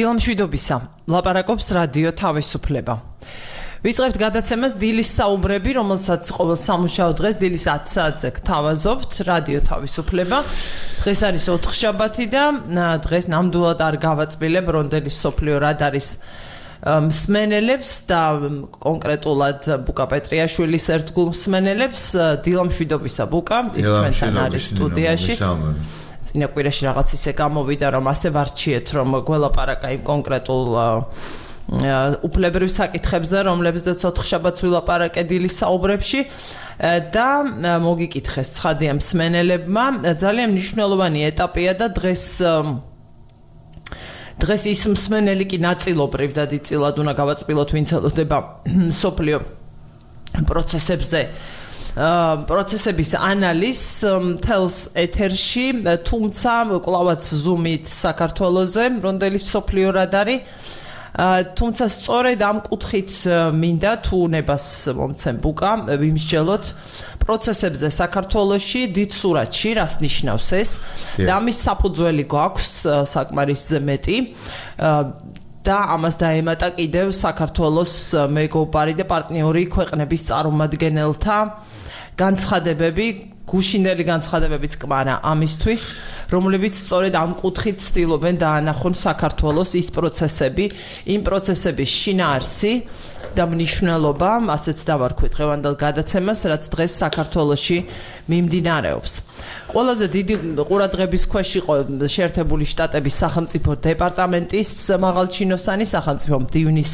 დილამშვიდობისა, ლაპარაკობს რადიო თავისუფლება. ვიწყებთ გადაცემას დილის საუბრები, რომელსაც ყოველ სამუშაო დღეს დილის 10 საათზე გთავაზობთ რადიო თავისუფლება. დღეს არის ოთხშაბათი და დღეს ნამდვილად არ გავაწბილებ რონდელის სოფლიო რად არის მსმენელებს და კონკრეტულად ბუკა პეტრიაშვილის ერთგულ მსმენელებს. დილამშვიდობისა ბუკა, ის ჩვენთან არის სტუდიაში. წინა კვირაში რაღაც ისე გამოვიდა, რომ ასე ვარჩიეთ, რომ გველაპარაკა იმ კონკრეტულ უფლებრივ საკითხებზე, რომლებზეც ოთხშაბათს ვილაპარაკე დილის საუბრებში და მოგიკითხეს ცხადია მსმენელებმა. ძალიან მნიშვნელოვანი ეტაპია და დღეს ის მსმენელი კი ნაწილობრივ და დიდწილად უნდა გავაწბილოთ, ვინც ელოდება სოფლიო პროცესების ანალიზს მთელს ეთერში, თუმცა კვლავაც ზუმით საქართველოზე, რონდელის სოფლიო რად არის. თუმცა სწორედ ამ კუთხით მინდა თუ უნებას მომცემ ბუკა ვიმსჯელოთ პროცესებზე საქართველოში დიდ სურათში, რას ნიშნავს ეს და ამის საფუძველი გვაქვს საკმარისზე მეტი და ამას დაემატა კიდევ საქართველოს მეგობარი და პარტნიორი ქვეყნების წარმომადგენელთა განცხადებები, გუშინდელი განცხადებებიც კმარა ამისთვის, რომლებიც სწორედ ამ კუთხით ცდილობენ დაანახონ საქართველოს ის პროცესები, იმ პროცესების შინაარსი და მნიშვნელობა, ასეც დავარქვით დღევანდელ გადაცემას, რაც დღეს საქართველოში მიმდინარეობს. ყველაზე დიდი ყურადღების ქვეშ იყო შეერთებული შტატების სახელმწიფო დეპარტამენტის მაღალჩინოსანი სახელმწიფო მდივნის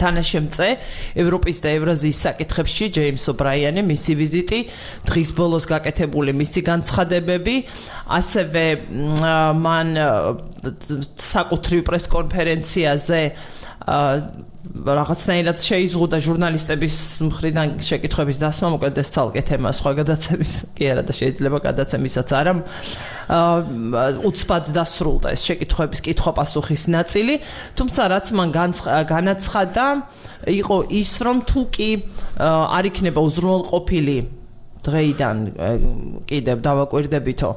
თანაშემწე ევროპის და ევრაზიის საკითხებში ჯეიმს ობრაიანი, მისი ვიზიტი, დღის ბოლოს გაკეთებული მისი განცხადებები, ასევე მან საკუთრივ პრესკონფერენციაზე რაღაცნაირად შეიზღუდა ჟურნალისტების მხრიდან შეკითხვების დასმა, მოკლედ ეს ცალკე თემა სხვა გადაცემის კი არა და შეიძლება გადაცემისაც არა უცბად დასრულდა ეს შეკითხვების კითხვა-პასუხის ნაწილი, თუმცა რაც მან განაცხადა იყო ის, რომ თუ კი არ იქნება უზრუნველყოფილი დღეიდან კიდევ დავაკვირდებითო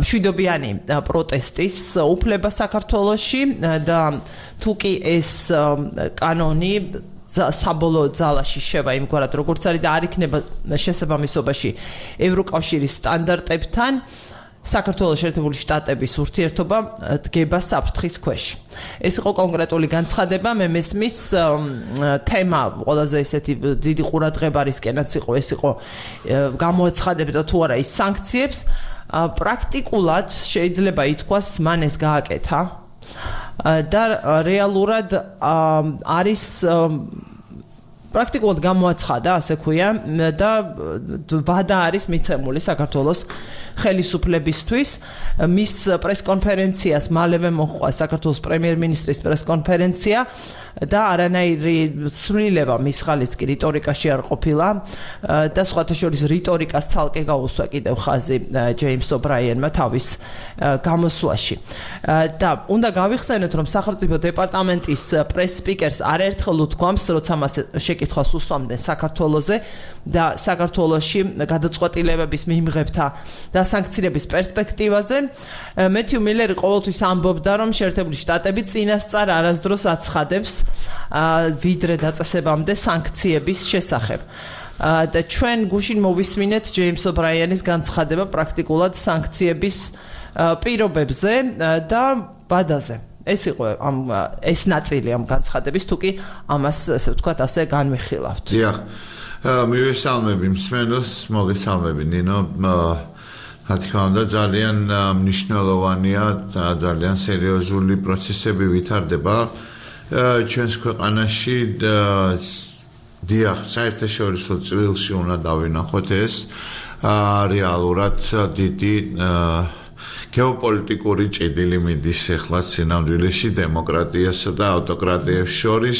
მშვიდობიანი პროტესტის უფლება საქართველოში და თუ კი ეს კანონი საბოლოო ძალაში შევა იმგვარად როგორც არის და არ იქნება შესაბამისობაში ევროკავშირის სტანდარტებთან, საქართველოს შეერთებული შტატების ურთიერთობა დგება საფრთხის ქვეშ. ეს იყო კონკრეტული განცხადება, მე მესმის თემა ყველაზე ისეთი დიდი ყურადღებარისკენაც იყო, ეს იყო გამოაცხადებდა თუ არა ის სანქციებს, პრაქტიკულად შეიძლება ითქვას მან ეს გააკეთა და რეალურად არის პრაქტიკულად გამოაცხადა, ასე ქვია, და ვადა არის მიცემული საქართველოს ხელისუფლებისთვის. მის პრესკონფერენციას მალევე მოჰყვა საქართველოს პრემიერ-მინისტრის პრესკონფერენცია და არანაირი ცვლილება მის ხალხის კი რიტორიკაში არ ყოფილა და სხვათა შორის რიტორიკას ცალკე გაუსვა კიდევ ხაზი ჯეიმს ობრაიანმა თავის გამოსვლაში. და უნდა გავიხსენოთ, რომ სახელმწიფო დეპარტამენტის პრეს-სპიკერს არაერთხელ უთქვამს, როცა მას შეკითხვას უსვამდნენ საქართველოზე და საქართველოში გადაწყვეტილებების მიმღებთა და სანქციების პერსპექტივაზე, მეთიუ მილერი ყოველთვის ამბობდა, რომ შეერთებული შტატები წინასწარ არასდროს აცხადებს ვიდრე დაწესებამდე სანქციების შესახებ. და ჩვენ გუშინ მოვისმინეთ ჯეიმს ობრაიანის განცხადება პრაქტიკულად სანქციების პირობებზე და ვადაზე. ეს იყო ეს ნაწილი ამ განცხადების, თუ კი ამას ესე ვთქვათ ასე განვიხილავთ. დიახ. მივესალმები მსმენელს, მოგესალმები ნინო. რა თქმა უნდა, ძალიან მნიშვნელოვანია და ძალიან სერიოზული პროცესები ვითარდება ჩვენს ქვეყანაში. დიახ, საერთაშორისო წრილში უნდა დავინახოთ ეს რეალურად დიდი გეოპოლიტიკური ჭედილი მიდის ახლა სინამდვილეში დემოკრატიასა და ავტოკრატიებს შორის.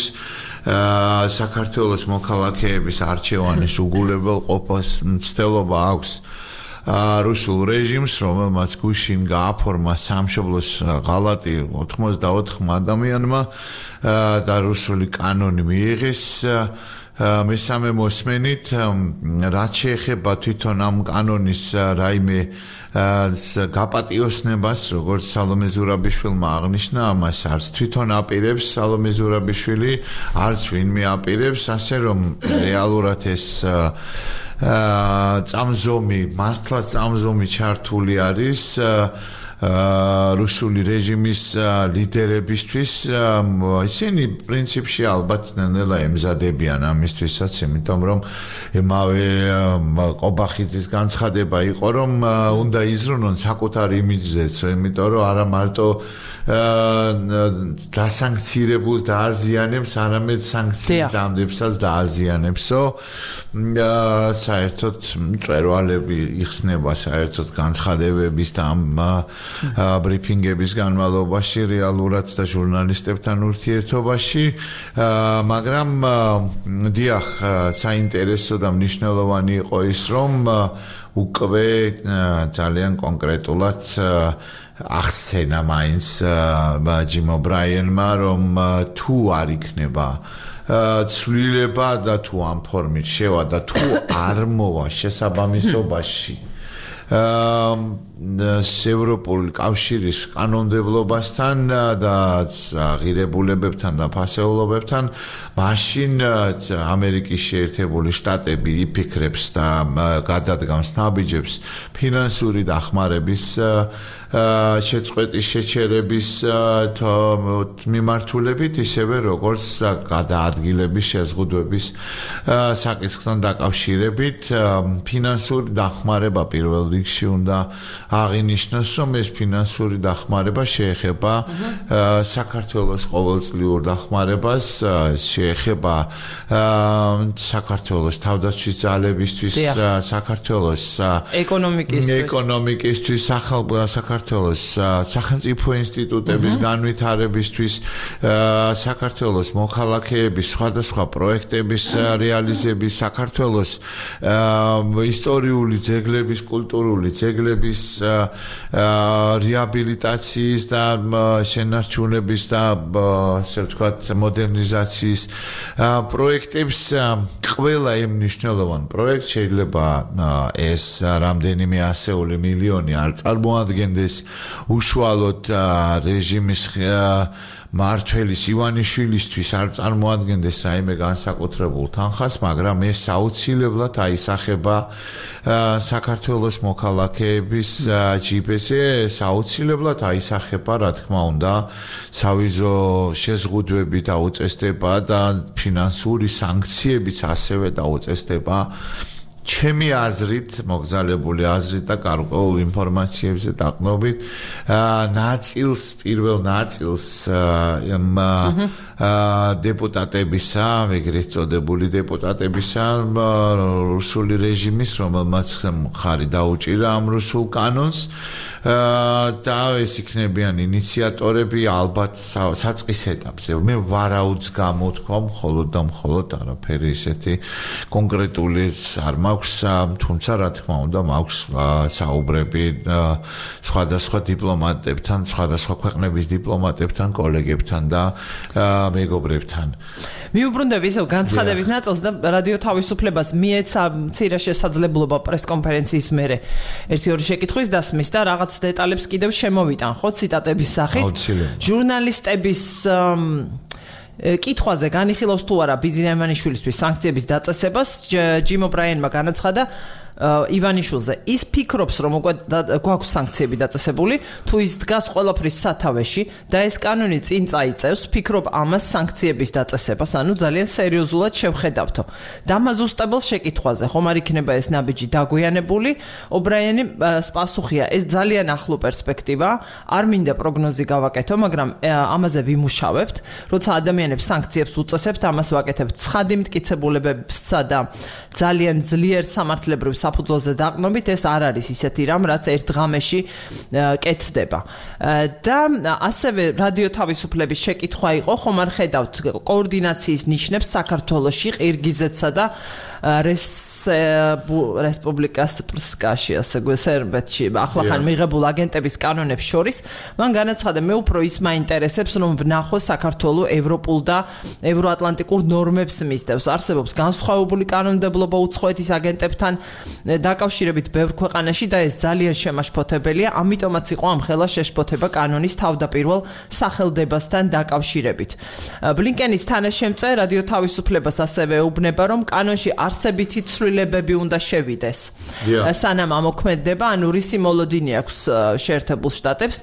საქართველოს მოქალაქეების არჩევანის უგულებელყოფას მცდელობა აქვს რუსულ რეჟიმს, რომელმაც გუშინ გააფორმა სამშობლოს ღალატი 84 ადამიანმა და რუსული კანონი მიიღეს მესამე მოსმენით რაც შეეხება თვითონ ამ კანონის რაიმე გაპატიოსნებას, როგორც სალომე ზურაბიშვილმა აღნიშნა, ამას არც თვითონ აპირებს სალომე ზურაბიშვილი, არც ვინმე აპირებს, ასე რომ რეალურად ეს წამზომი, მართლაც წამზომი ჩართული არის რუსული რეჟიმის ლიდერებისთვის, ისინი პრინციპში ალბათ ნელა ემზადებიან ამისთვისაც, იმიტომ რომ ემავე ყობახიძის განცხადება იყო, რომ უნდა იზრუნონ საკუთარ იმიჯზეც, იმიტომ რომ არა მარტო დასანქცირებულს დააზიანებს, არამედ სანქციის დამდებსაც დააზიანებსო. საერთოდ მწვერვალები იხსნება საერთოდ განცხადებების და ამ ბრიფინგების განმავლობაში რეალურად და ჟურნალისტებთან ურთიერთობაში, მაგრამ დიახ, საინტერესო და მნიშვნელოვანი იყო ის, რომ უკვე ძალიან კონკრეტულად ახსენა მაინც ჯიმ ობრაიანმა, რომ თუ არ იქნება ცვლილება და თუ ამ ფორმით შევა და თუ არ მოვა შესაბამისობაში ევროპული კავშირის კანონმდებლობასთან და ღირებულებებთან და ფასეულობებთან, მაშინ ამერიკის შეერთებული შტატები იფიქრებს და გადადგამს ნაბიჯებს ფინანსური დახმარების შეწყვეტის შეჩერების მიმართულებით, ისევე როგორც გადაადგილების შეზღუდვების საკითხთან დაკავშირებით. ფინანსური დახმარება პირველ რიგში უნდა აღინიშნოს, რომ ეს ფინანსური დახმარება შეეხება საქართველოს ყოველწლიურ დახმარებას, შეეხება საქართველოს თავდაცვის ძალებისთვის, საქართველოს ეკონომიკისთვის, საქართველოს სახელმწიფო ინსტიტუტების განვითარებისთვის, საქართველოს მოქალაქეების სხვადასხვა პროექტების რეალიზების, საქართველოს ისტორიული ძეგლების, კულტურული ძეგლების რეაბილიტაციის და შენარჩუნების და ასე ვთქვათ მოდერნიზაციის პროექტებს. ყველა იმ მნიშვნელოვან პროექტს შეიძლება ეს რამდენიმე ასეული მილიონი არ წარმოადგენდეს უშუალოდ რეჟიმის მართველის ივანიშვილისთვის არ წარმოადგენდეს რაიმე განსაკუთრებულ თანხას, მაგრამ ეს აუცილებლად აისახება საქართველოს მოქალაქეების ჯიბეზე, ეს აუცილებლად აისახება, რა თქმა უნდა, სავიზო შეზღუდვები დაუწესდება და ფინანსური სანქციებიც ასევე დაუწესდება. ჩემი აზრით, მოგზალებული აზრით და გარკვეულ ინფორმაციებზე დაყრდნობით, პირველ ნაწილს დეპუტატებისა, ეგრეთ წოდებული დეპუტატებისა რუსული რეჟიმის, რომელმაც მხარი დაუჭირა ამ რუსულ კანონს და ეს იქნებიან ინიციატორები ალბათ საწყის ეტაპზე. მე ვარაუდს გამოთქვა მხოლოდ და მხოლოდ არაფერი ისეთი კონკრეტული არ მაქვს, თუმცა რა თქმა უნდა მაქვს საუბრები სხვადასხვა დიპლომატებთან, სხვადასხვა ქვეყნების დიპლომატებთან, კოლეგებთან და მეგობრებთან. მიუბრუნდები ისევ განცხადების ნაწილს და რადიო თავისუფლებას მიეცა მცირე შესაძლებლობა პრესკონფერენციის მერე ერთი-ორი შეკითხვის დასმის და რაღაც დეტალებს კიდევ შემოვიტან, ხო, ციტატების სახით. ჟურნალისტების კითხვაზე განიხილავს თუ არა ბიზნეს ივანიშვილისთვის სანქციების დაწესებას, ჯიმ ობრაიანმა განაცხადა ივანიშვილზე. ის ფიქრობს, რომ უკვე გვაქვს სანქციები დაწესებული, თუ ის დგას ყველაფრის სათავეში და ეს კანონი წინ წაიწევს, ფიქრობ ამას სანქციების დაწესებას, ანუ ძალიან სერიოზულად შევხედავთო. დამაზუსტებელ შეკითხვაზე, ხომ არ იქნება ეს ნაბიჯი დაგვიანებული? ობრაიანი პასუხია, ეს ძალიან ახლო პერსპექტივა, არ მინდა პროგნოზი გავაკეთო, მაგრამ ამაზე ვიმუშავებთ, როცა ადამიანებს სანქციებს უწესებთ, ამას ვაკეთებთ ცხადი მტკიცებულებებსა და ძალიან ძლიერ სამართლებრივ საფუძველზე დაყნობით ეს არ არის ისეთი რამ, რაც ერთ ღამეში კეთდება. და ასევე რადიო თავისუფლების შეკითხვა იყო, ხომ არ ხედავთ კოორდინაციის ნიშნებს საქართველოში, ყირგიზეთსა და რესპუბლიკასკაში, ასე სერბეთში, ახლახან მიღებულ აგენტების კანონებს შორის, მან განაცხადა, მე უფრო ის მაინტერესებს, რომ ვნახო საქართველოს ევროპულ და ევროატლანტიკურ ნორმებს მისდევს. არსებობს განსხვავებული კანონმდებლობა უცხოეთის აგენტებთან დაკავშირებით ბევრ ქვეყანაში და ეს ძალიან შემაშფოთებელია, ამიტომაც იყო ამ ხელა შეშფოთება კანონის თავდაპირველ სახელდებასთან დაკავშირებით. ბლინკენის თანაშემწე რადიო თავისუფლებას ასევე ეუბნება, რომ კანონში არსებითი ცვლილებები უნდა შევიდეს. სანამ ამოქმედდება, ანუ რისი მოლოდინი აქვს შეერთებულ შტატებს,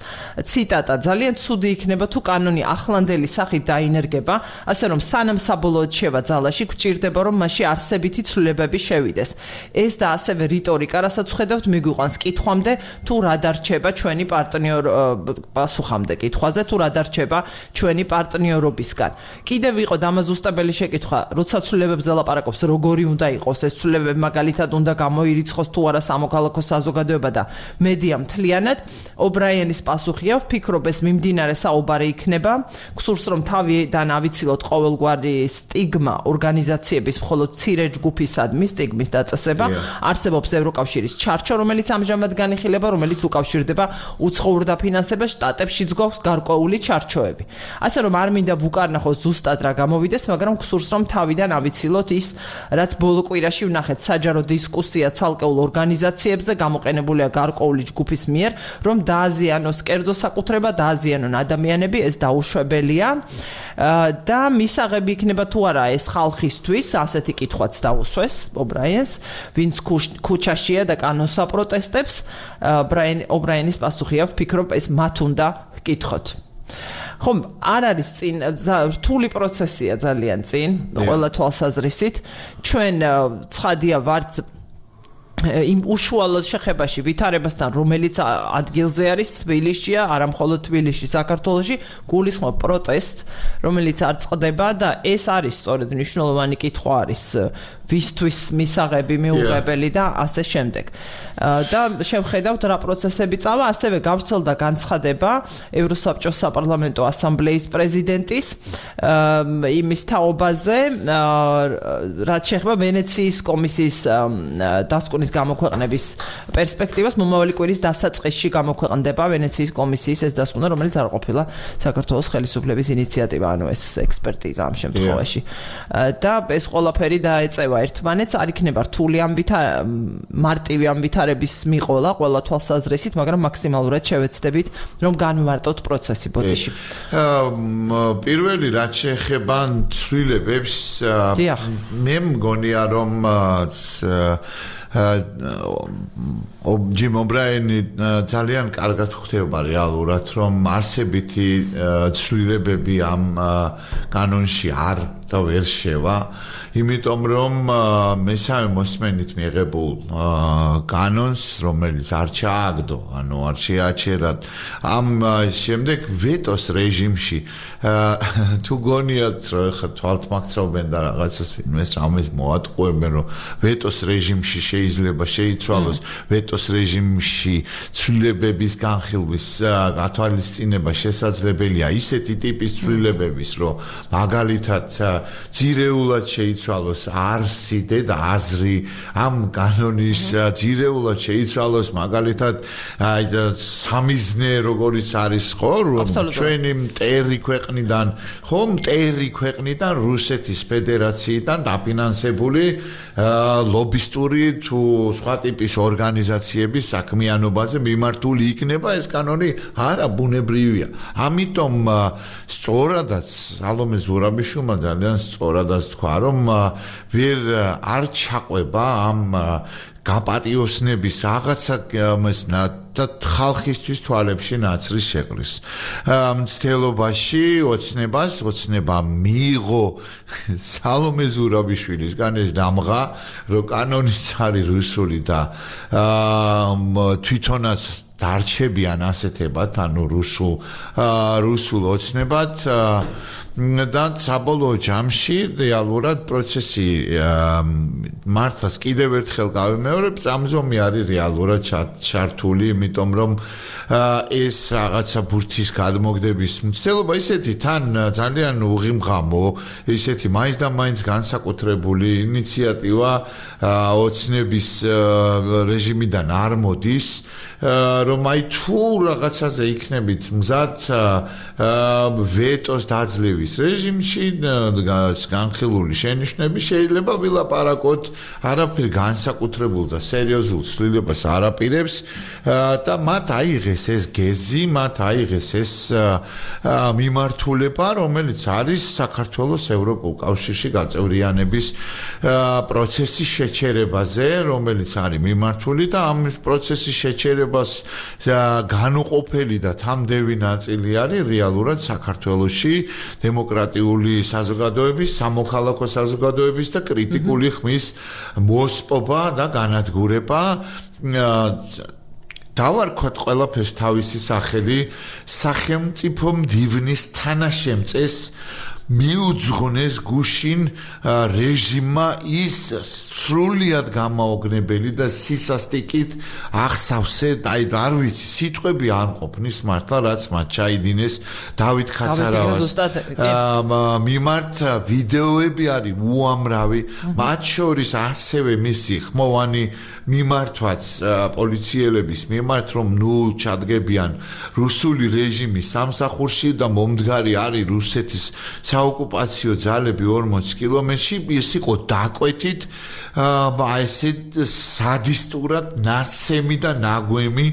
ციტატა, ძალიან ცუდი იქნება თუ კანონი ახლანდელი სახით დაინერგება, ასე რომ სანამ საბოლოოდ შევა ძალაში, გვჭირდება რომ მასში არსებითი ცვლილებები შევიდეს. ეს და ასევე რიტორიკა, რასაც ხედავთ, მიგვიყვანს კითხვამდე, თუ რა დარჩება ჩვენი პასუხამდე კითხვაზე, თუ რა დარჩება ჩვენი პარტნიორობისგან. კიდევ იყო დამაზუსტებელი შეკითხვა, როცა ცვლილებებზე ლაპარაკობს, როგორი უნდა იყოს ეს ცვლილებები, მაგალითად უნდა გამოირიცხოს თუ არა სამოქალაქო საზოგადოება და მედია მთლიანად. ობრაიანის პასუხია, ვფიქრობ ეს მიმდინარე საუბარი იქნება, გსურს რომ თავიდან ავიცილოთ ყოველგვარი სტიგმა ორგანიზაციების მხოლოდ მცირე ჯგუფისადმი სტიგმის დაწესება. არსებობს ევროკავშირის ჩარჩო, რომელიც ამჟამად განიხილება, რომელიც უკავშირდება უცხოურ დაფინანსებას, შტატებშიც გვაქვს გარკვეული ჩარჩოები. ასე რომ არ მინდა ვუკარნახოს ზუსტად რა გამოვიდეს, მაგრამ გსურს რომ თავიდან ავიცილოთ ის, რაც ბოლო კვირაში ვნახეთ საჯარო დისკუსია ცალკეულ ორგანიზაციებზე გამოყენებულია გარკვეული ჯგუფის მიერ, რომ დააზიანოს კერძო საკუთრება, დააზიანონ ადამიანები, ეს დაუშვებელია და მისაღები იქნება თუ არა ეს ხალხისთვის, ასეთი კითხვაც დაუსვეს ობრაიანს, ვინც ქუჩაშია და კანონს აპროტესტებს. ობრაიანის პასუხია, ვფიქრობ ეს მათ უნდა კითხოთ. ხომ არ არის წინ რთული პროცესია ძალიან წინ ყველა თვალსაზრისით ჩვენ ცხადია ვართ იმ უშუალოდ შეხებაში ვითარებასთან რომელიც ადგილზე არის თბილისშია არა მხოლოდ თბილისში საქართველოში გულისხმობ პროტესტს რომელიც არ წყდება და ეს არის სწორედ მნიშვნელოვანი კითხვა არის ვისთვის მისაღები მიუღებელი და ასე შემდეგ და შევხედავთ რა პროცესები წავა ასევე გავრცელდა განცხადება ევროსაბჭოს საპარლამენტო ასამბლეის პრეზიდენტის იმის თაობაზე რაც შეეხება ვენეციის კომისიის დასკვნის გამოქვეყნების პერსპექტივას მომავალი კვირის დასაწყისში გამოქვეყნდება ვენეციის კომისიის ეს დასკვნა რომელიც არ ყოფილა საქართველოს ხელისუფლების ინიციატივა ანუ ეს ექსპერტიზა ამ შემთხვევაში და ეს ყველაფერი დაეწევა ერთმანეთს არ იქნება რთული ამ მარტივი ამ ვითარების მიყოლა ყველა თვალსაზრისით მაგრამ მაქსიმალურად შევეცდებით რომ განვარტოთ პროცესი ბოდიში პირველი რაც შეეხება ცვლილებებს მე მგონია რომ ჯიმ ობრაიანი ძალიან კარგად ხვდება რეალურად რომ არსებითი ცვლილებები ამ კანონში არ და ვერ შევა იმიტომ რომ მესამე მოსმენით მიღებულ კანონს რომელიც არ ჩააგდო ანუ არ შეაჩერა ამ შემდეგ ვეტოს რეჟიმში თუ გონიათ რომ ხა თვალთმაქცობენ და რაღაცას ვინმეს რამეს მოატყუებენ რომ ვეტოს რეჟიმში შეიძლება შეიცვალოს ვეტოს რეჟიმში ცვლილებების განხილვის გათვალისწინება შესაძლებელია ისეთი ტიპის ცვლილებების რომ მაგალითად ძირეულად შეიცვალოს არსი და აზრი ამ კანონის ძირეულად შეიცვალოს მაგალითად სამიზნე როგორიც არის ხო რომ ჩვენი მტერი ქვეყნიდან ხო მტერი ქვეყნიდან რუსეთის ფედერაციიდან დაფინანსებული ლობისტური თუ სხვა ტიპის ორგანიზაციების საქმიანობაზე მიმართული იქნება ეს კანონი არა ბუნებრივია ამიტომ სწორადაც სალომე ზურაბიშვილმა ძალიან სწორადაც თქვა რომ ვერ არ ჩაყვება ამ გაპატიოსნების რაღაცა და ხალხისთვის თვალებში ნაცრის შეყრის მცდელობაში ოცნება მიიღო სალომე ზურაბიშვილისგან ეს დამღა რომ კანონიც არის რუსული და თვითონაც დარჩებიან ასეთებად ანუ რუსულ ოცნებად და საბოლოო ჯამში რეალურად პროცესი მართლაც კიდევ ერთხელ გავიმეორე მეორე წამზომი არის რეალურად ჩართული, იმიტომ რომ ეს რაღაცა ბურთის გადმოგდების მცდელობა ისეთი თან ძალიან უღიმღამო, ისეთი მაინც და მაინც განსაკუთრებული ინიციატივა ოცნების რეჟიმიდან არ მოდის, რომ აი თუ რაღაცაზე იქნებით მზად ვეტოს დაძლევის რეჟიმში განხილული შენიშვნები შეიძლება ვილაპარაკოთ, არაფერ განსაკუთრებულ და სერიოზულ ცვლილებას არ აპირებს და მათ აიღეს ეს გეზი, მათ აიღეს ეს მიმართულება, რომელიც არის საქართველოს ევროპულ კავშირში გაწევრიანების პროცესის შეჩერებაზე, რომელიც არის მიმართული და ამ პროცესის შეჩერებას განუყოფელი და თამდევი ნაწილი არის რეალურად საქართველოში დემოკრატიული საზოგადოების, სამოქალაქო საზოგადოების და კრიტიკული ხმის მოსპობა და განადგურება. დავარქვათ ყველაფერს თავისი სახელი სახელმწიფო მდივნის თანაშემწეს მიუძღვნეს გუშინ რეჟიმმა ის სრულიად გამაოგნებელი და სისასტიკით ახსავსე, აი არ ვიცი, სიტყვები არ მყოფნის მართლა, რაც მათ ჩაიდინეს დავით ხაცარავას მიმართ ვიდეოები არის უამრავი, მათ შორის ასევე მისი ხმოვანი მიმართვაც პოლიციელების მიმართ, რომ ნუ ჩადგებიან რუსული რეჟიმის სამსახურში და მომდგარი არის რუსეთის საოკუპაციო ძალები 40 კილომეტრში, ის იყო დაკვეთით ესე სადისტურად ნაცემი და ნაგვემი,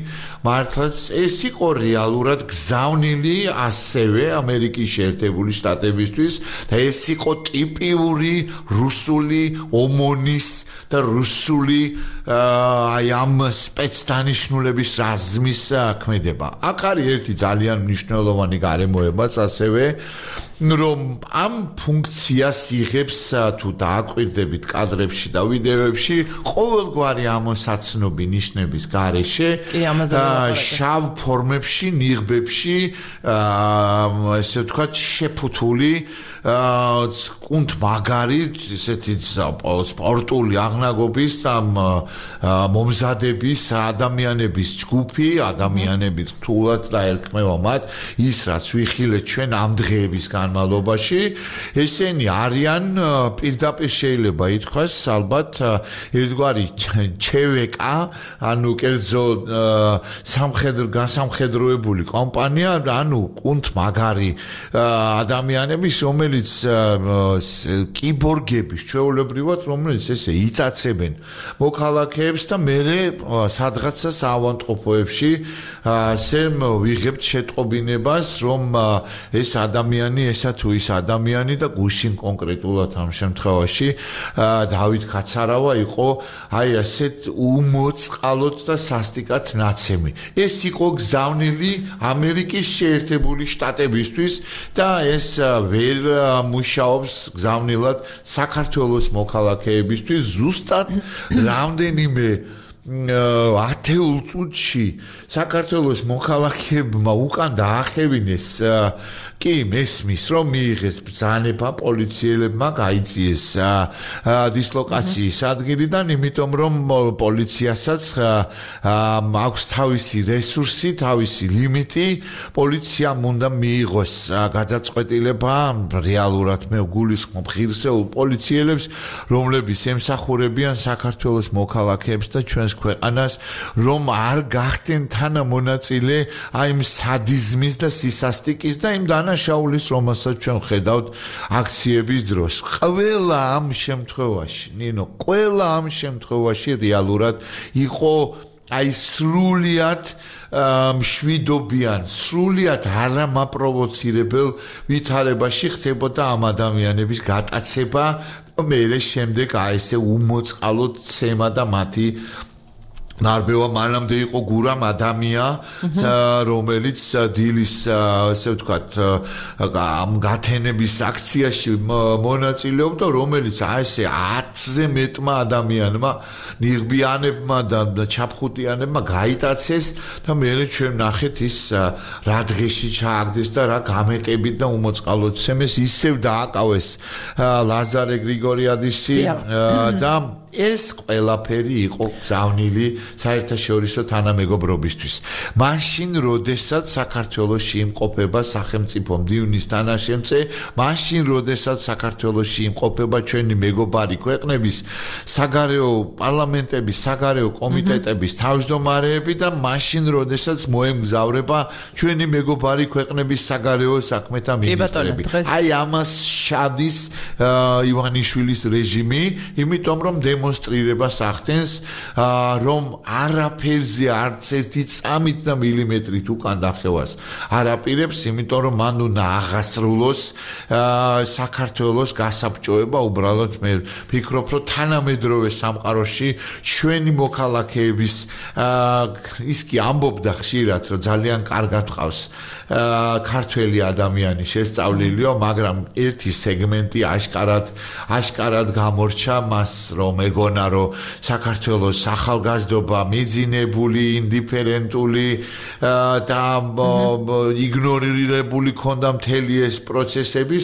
მართლაც ეს იყო რეალურად გზავნილი ასევე ამერიკის შეერთებული შტატებისთვის და ეს იყო ტიპიური რუსული ომონის და რუსული აი ამ სპეცდანიშნულების რაზმის ქმედება. აქ არის ერთი ძალიან მნიშვნელოვანი გარემოებაც ასევე, რომ ამ ფუნქციას იღებს თუ დააკვირდებით კადრებში და ვიდეოებში ყოველგვარი ამოსაცნობი ნიშნების გარეშე შავ ფორმებში, ნიღბებში, ესე ვთქვათ, შეფუთული კუნთ მაგარი ესეთი სპორტული აღნაგობის მომზადების ადამიანების ჯგუფი, ადამიანები რთულად და ერქმევა მათ ის რაც ვიხილეთ ჩვენ ამ დღეების განმავლობაში, ესენი არიან პირდაპირ შეიძლება ითქვას ალბათ ერთგვარი ჩევეკა, ანუ კერძო გასამხედროებული კომპანია, ანუ კუნთ მაგარი ადამიანების, რომელიც კიბორგების ჩვეულებრივად, რომელიც ესე იტაცებენ მოქალაქეებს და მერე სადღაცა საავადმყოფოებში ასე ვიღებთ შეტყობინებას, რომ ეს ადამიანი ესა თუ ის ადამიანი და გუშინ კონკრეტულად ამ შემთხვევაში დავით ხაცარავა იყო აი ასეთ უმოწყალოდ და სასტიკად ნაცემი. ეს იყო გზავნილი ამერიკის შეერთებული შტატებისთვის და ეს ვერ მუშაობს გზავნილად საქართველოს მოქალაქეებისთვის. ზუსტად რამდენიმე ათეულ წუთში საქართველოს მოქალაქეებმა უკან დაახევინეს კი მესმის, რომ მიიღეს ბრძანება, პოლიციელებმა გაიწიეს დისლოკაციის ადგილიდან, იმიტომ რომ პოლიციასაც აქვს თავისი რესურსი, თავისი ლიმიტი, პოლიციამ უნდა მიიღოს გადაწყვეტილება, რეალურად მე გულისხმობ ღირსეულ პოლიციელებს, რომლებიც ემსახურებიან საქართველოს მოქალაქეებს და ჩვენს ქვეყანას, რომ არ გახდნენ თანამონაწილე აი იმ სადიზმის და სისასტიკის და იმ დანაშაულის, რომელსაც ჩვენ ხედავთ აქციების დროს. ყველა ამ შემთხვევაში, ნინო, ყველა ამ შემთხვევაში რეალურად იყო აი სრულიად მშვიდობიან, სრულიად არამაპროვოცირებელ ვითარებაში ხდებოდა ამ ადამიანების გატაცება, მერე შემდეგ აი ესე უმოწყალოდ ცემა და მათი ნარბევა მანამდე იყო გურამ ადამია, რომელიც დილის, ასე ვთქვათ, ამ გათენების აქციაში მონაწილეობდა, რომელიც ასე 10-ზე მეტმა ადამიანმა, ნიღბიანებმა და ჩაფხუტიანებმა გაიტაცეს და მერე ჩვენ ნახეთ ის რა დღეში ჩააგდეს და რა გამეტებით და უმოწყალოდ ცემეს, ისევ დააკავეს ლაზარე გრიგორიადისი და ეს ყველაფერი იყო გზავნილი საერთაშორისო თანამეგობრობისთვის. მაშინ, როდესაც საქართველოში იმყოფება სახელმწიფო მდივნის თანაშემწე, მაშინ, როდესაც საქართველოში იმყოფება ჩვენი მეგობარი ქვეყნების საგარეო პარლამენტების, საგარეო კომიტეტების თავმჯდომარეები და მაშინ, როდესაც მოემგზავრება ჩვენი მეგობარი ქვეყნების საგარეო საქმეთა მინისტრები. აი ამას შადის ივანიშვილის რეჟიმი, იმიტომ რომ დემონსტრირებას ახდენს, რომ არაფერზე არც ერთი წამით და მილიმეტრით უკან დახევას არაპირებს, იმიტომ რომ მან უნდა აღასრულოს საქართველოს გასაბჭოება. უბრალოდ მე ვფიქრობ, რომ თანამედროვე სამყაროში ჩვენი მოქალაქეების ის კი ამბობდა ხშირად, რომ ძალიან კარგად ყავს ქართველი ადამიანი შესწავლილია, მაგრამ ერთი სეგმენტი აშკარად გამორჩა მას, რომ ეგონა, რომ საქართველოს ახალგაზრდობა მიძინებული, ინდიფერენტული და იგნორირებული ქონდა მთელი ეს პროცესები,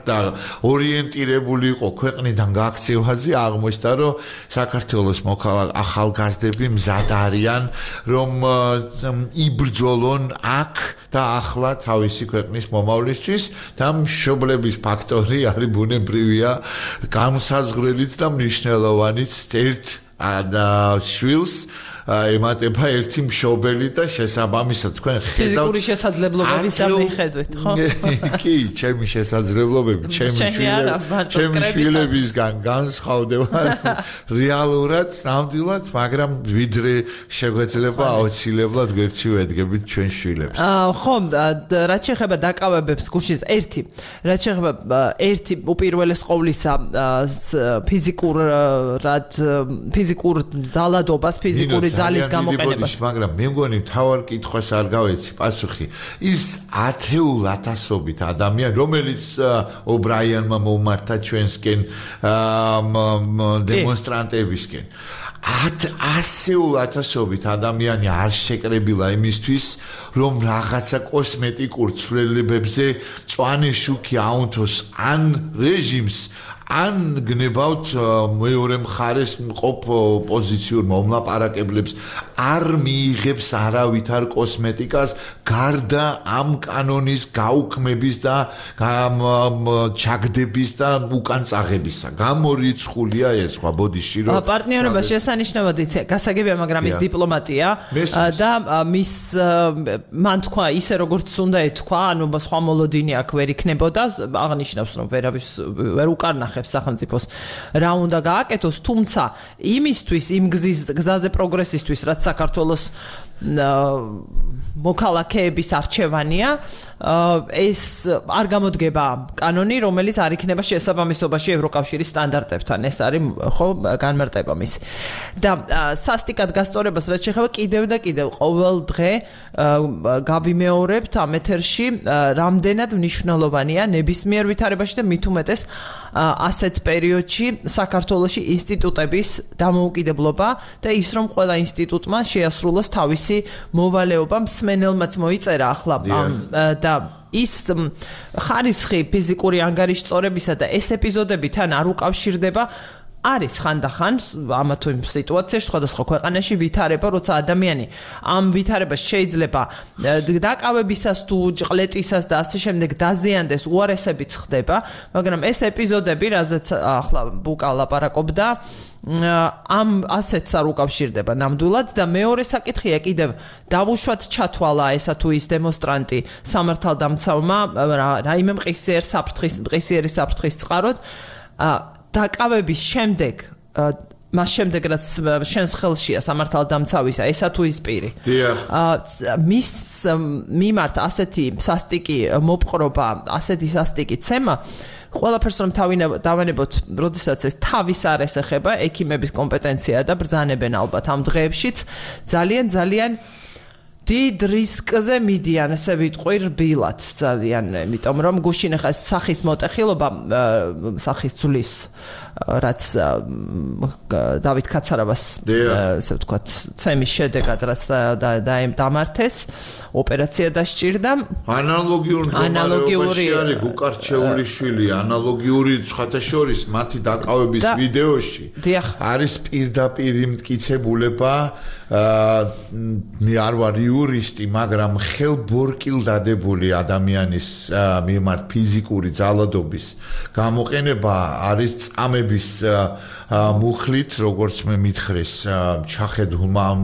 და ორიენტირებული იყო ქვეყნიდან გაქცევაზე. აღმოჩნდა, რომ საქართველოს ახალგაზრდები მზად არიან, რომ იბრძოლონ აქ და ახლა თავისი ქვეყნის მომავლისთვის და მშობლების ფაქტორი არის ბუნებრივია, განსაზღვრელიც და მნიშვნელოვანიც ერთ შვილს ემატება ერთი მშობელი და შესაბამისად თქვენ ხედავთ ფიზიკური შესაძლებლობების დამიხედვით, ხო? კი, ჩემი შესაძლებლობები, ჩემი შვილებისგან განსხვავდება რეალურად, ნამდვილად, მაგრამ ვიდრე შეგვეძლება აუცილებლად გვერდში ვედგებით ჩვენ შვილებს. ხო, რაც შეეხება დაკავებებს გუშინ ერთი, რაც შეეხება ერთი უპირველეს ყოვლისა ფიზიკურ ძალადობას, ფიზიკური ძალის გამოყენებას. მაგრამ მე მგონი თავარ კითხვას არ გავეცი პასუხი. ის ათეულათასობით ადამიანი, რომელიც ობრაიანმა მომართა ჩვენსკენ დემონსტრანტებისკენ. ასეულათასობით ადამიანი არ შეკრებილა იმისთვის, რომ რაღაცა კოსმეტიკურ ცვლილებებზე მწვანე შუქი აუნთოს ან რეჟიმს, ან გნებავთ მეორე მხარეს მყოფ პოზიციურ მომლაპარაკებლებს, არ მიიღებს არავითარ კოსმეტიკას გარდა ამ კანონის გაუქმების და ჩაგდების და უკან წაღებისა. გამორიცხულია ეს სხვა ბოდიში, რომ პარტნიორობა შესანიშნავად გასაგებია, მაგრამ ის დიპლომატია და მის მან თქვა ისე როგორც უნდა ეთქვა, ანუ სხვა მოლოდინი აქ ვერ იქნებოდა, აღნიშნავს რომ ვერ უკარნახებს სახელმწიფოს რა უნდა გააკეთოს, თუმცა იმისთვის, იმ გზაზე პროგრესისთვის, რაც საქართველოს მოქალაქეების არჩევანია, ეს არ გამოდგება კანონი, რომელიც არ იქნება შესაბამისობაში ევროკავშირის სტანდარტებთან. ეს არის ხო განმარტება მის. და სასტიკად გასწორებას რაც შეეხება კიდევ და კიდევ ყოველ დღე გავიმეორებთ ამ ეთერში, რამდენად მნიშვნელოვანია ნებისმიერ ვითარებაში და მით უმეტეს ასეთ პერიოდში საქართველოში ინსტიტუტების დამოუკიდებლობა და ის რომ ყველა ინსტიტუტმა შეასრულოს თავისი მოვალეობა. მსმენელმაც მოიწერა ახლა და ის ხარისხი ფიზიკური ანგარიშწორებისა და ეს ეპიზოდები თან არ უკავშირდება. არის ხანდახან ამა თუ იმ სიტუაციაში სხვადასხვა ქვეყანაში ვითარება, როცა ადამიანი ამ ვითარებას შეიძლება დაკავებისას თუ ჭყლეტისას და ასე შემდეგ დაზიანდეს, უარესებიც ხდება, მაგრამ ეს ეპიზოდები, რაზეც ახლა ბუკა ლაპარაკობდა, ამ ასეთს არ უკავშირდება ნამდვილად და მეორე საკითხია კიდევ დავუშვათ ჩათვალა ესა თუ ის დემონსტრანტი სამართალდამცავმა რაიმე მყისიერი საფრთხის წყაროდ დაკავების შემდეგ მას შემდეგ რაც შენს ხელშია სამართალდამცავისა ესა თუ ის პირი მის მიმართ ასეთი სასტიკი მოპყრობა, ასეთი სასტიკი ცემა ყველაფერს რომ დავანებოთ, როდესაც ეს თავის არ ესეხება, ექიმების კომპეტენცია და ბრძანებენ ალბათ ამ დღეებშიც ძალიან დიდ რისკზე მიდიან, ესე ვიტყვი რბილად ძალიან, იმიტომ რომ გუშინ ახლა სახის მოტეხილობა, სახის ძვლის რაც დავით კაცარავას ესე ვთქვათ, ცემის შედეგად რაც დამართეს, ოპერაცია დასჭირდა. ანალოგიური არის გუკარჩეული შვილი, ანალოგიური ხათაშორის მათი დაკავების ვიდეოში არის პირდაპირ მტკიცებულება. მე არ ვარ იურისტი, მაგრამ ხელბორკილ დადებული ადამიანის მიმართ ფიზიკური ძალადობის გამოყენება არის წამების მუხლით, როგორც მე მითხრეს ჩახედულმა ამ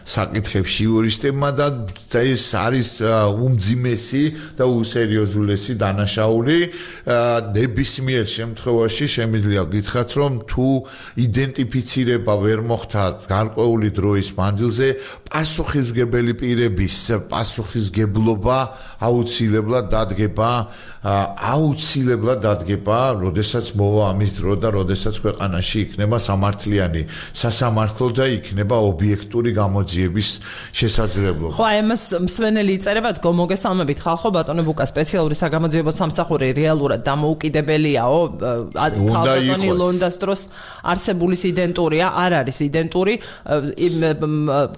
საკითხებში იურისტებმა და ეს არის უმძიმესი და უსერიოზულესი დანაშაული. ნებისმიერ შემთხვევაში შემიძლია გითხრათ, რომ თუ იდენტიფიცირება ვერ მოხდა გარკვეული დროის მანძილზე, პასუხისმგებელი პირების პასუხისმგებლობა აუცილებლად დადგება, როდესაც მოვა ამის დრო და როდესაც ქვეყანაში იქნება სამართლიანი სასამართლო და იქნება ობიექტური გამოძიების შესაძლებლობა. ხო, ამას მსვენელი იწერება, მოგესალმებით ხალხო, ბატონო ბუკა სპეციალური საგამოძიებო სამსახური რეალურად დამოუკიდებელიაო, ქალბატონი ლონდას დროს არსებულის იდენტურია, არ არის იდენტური,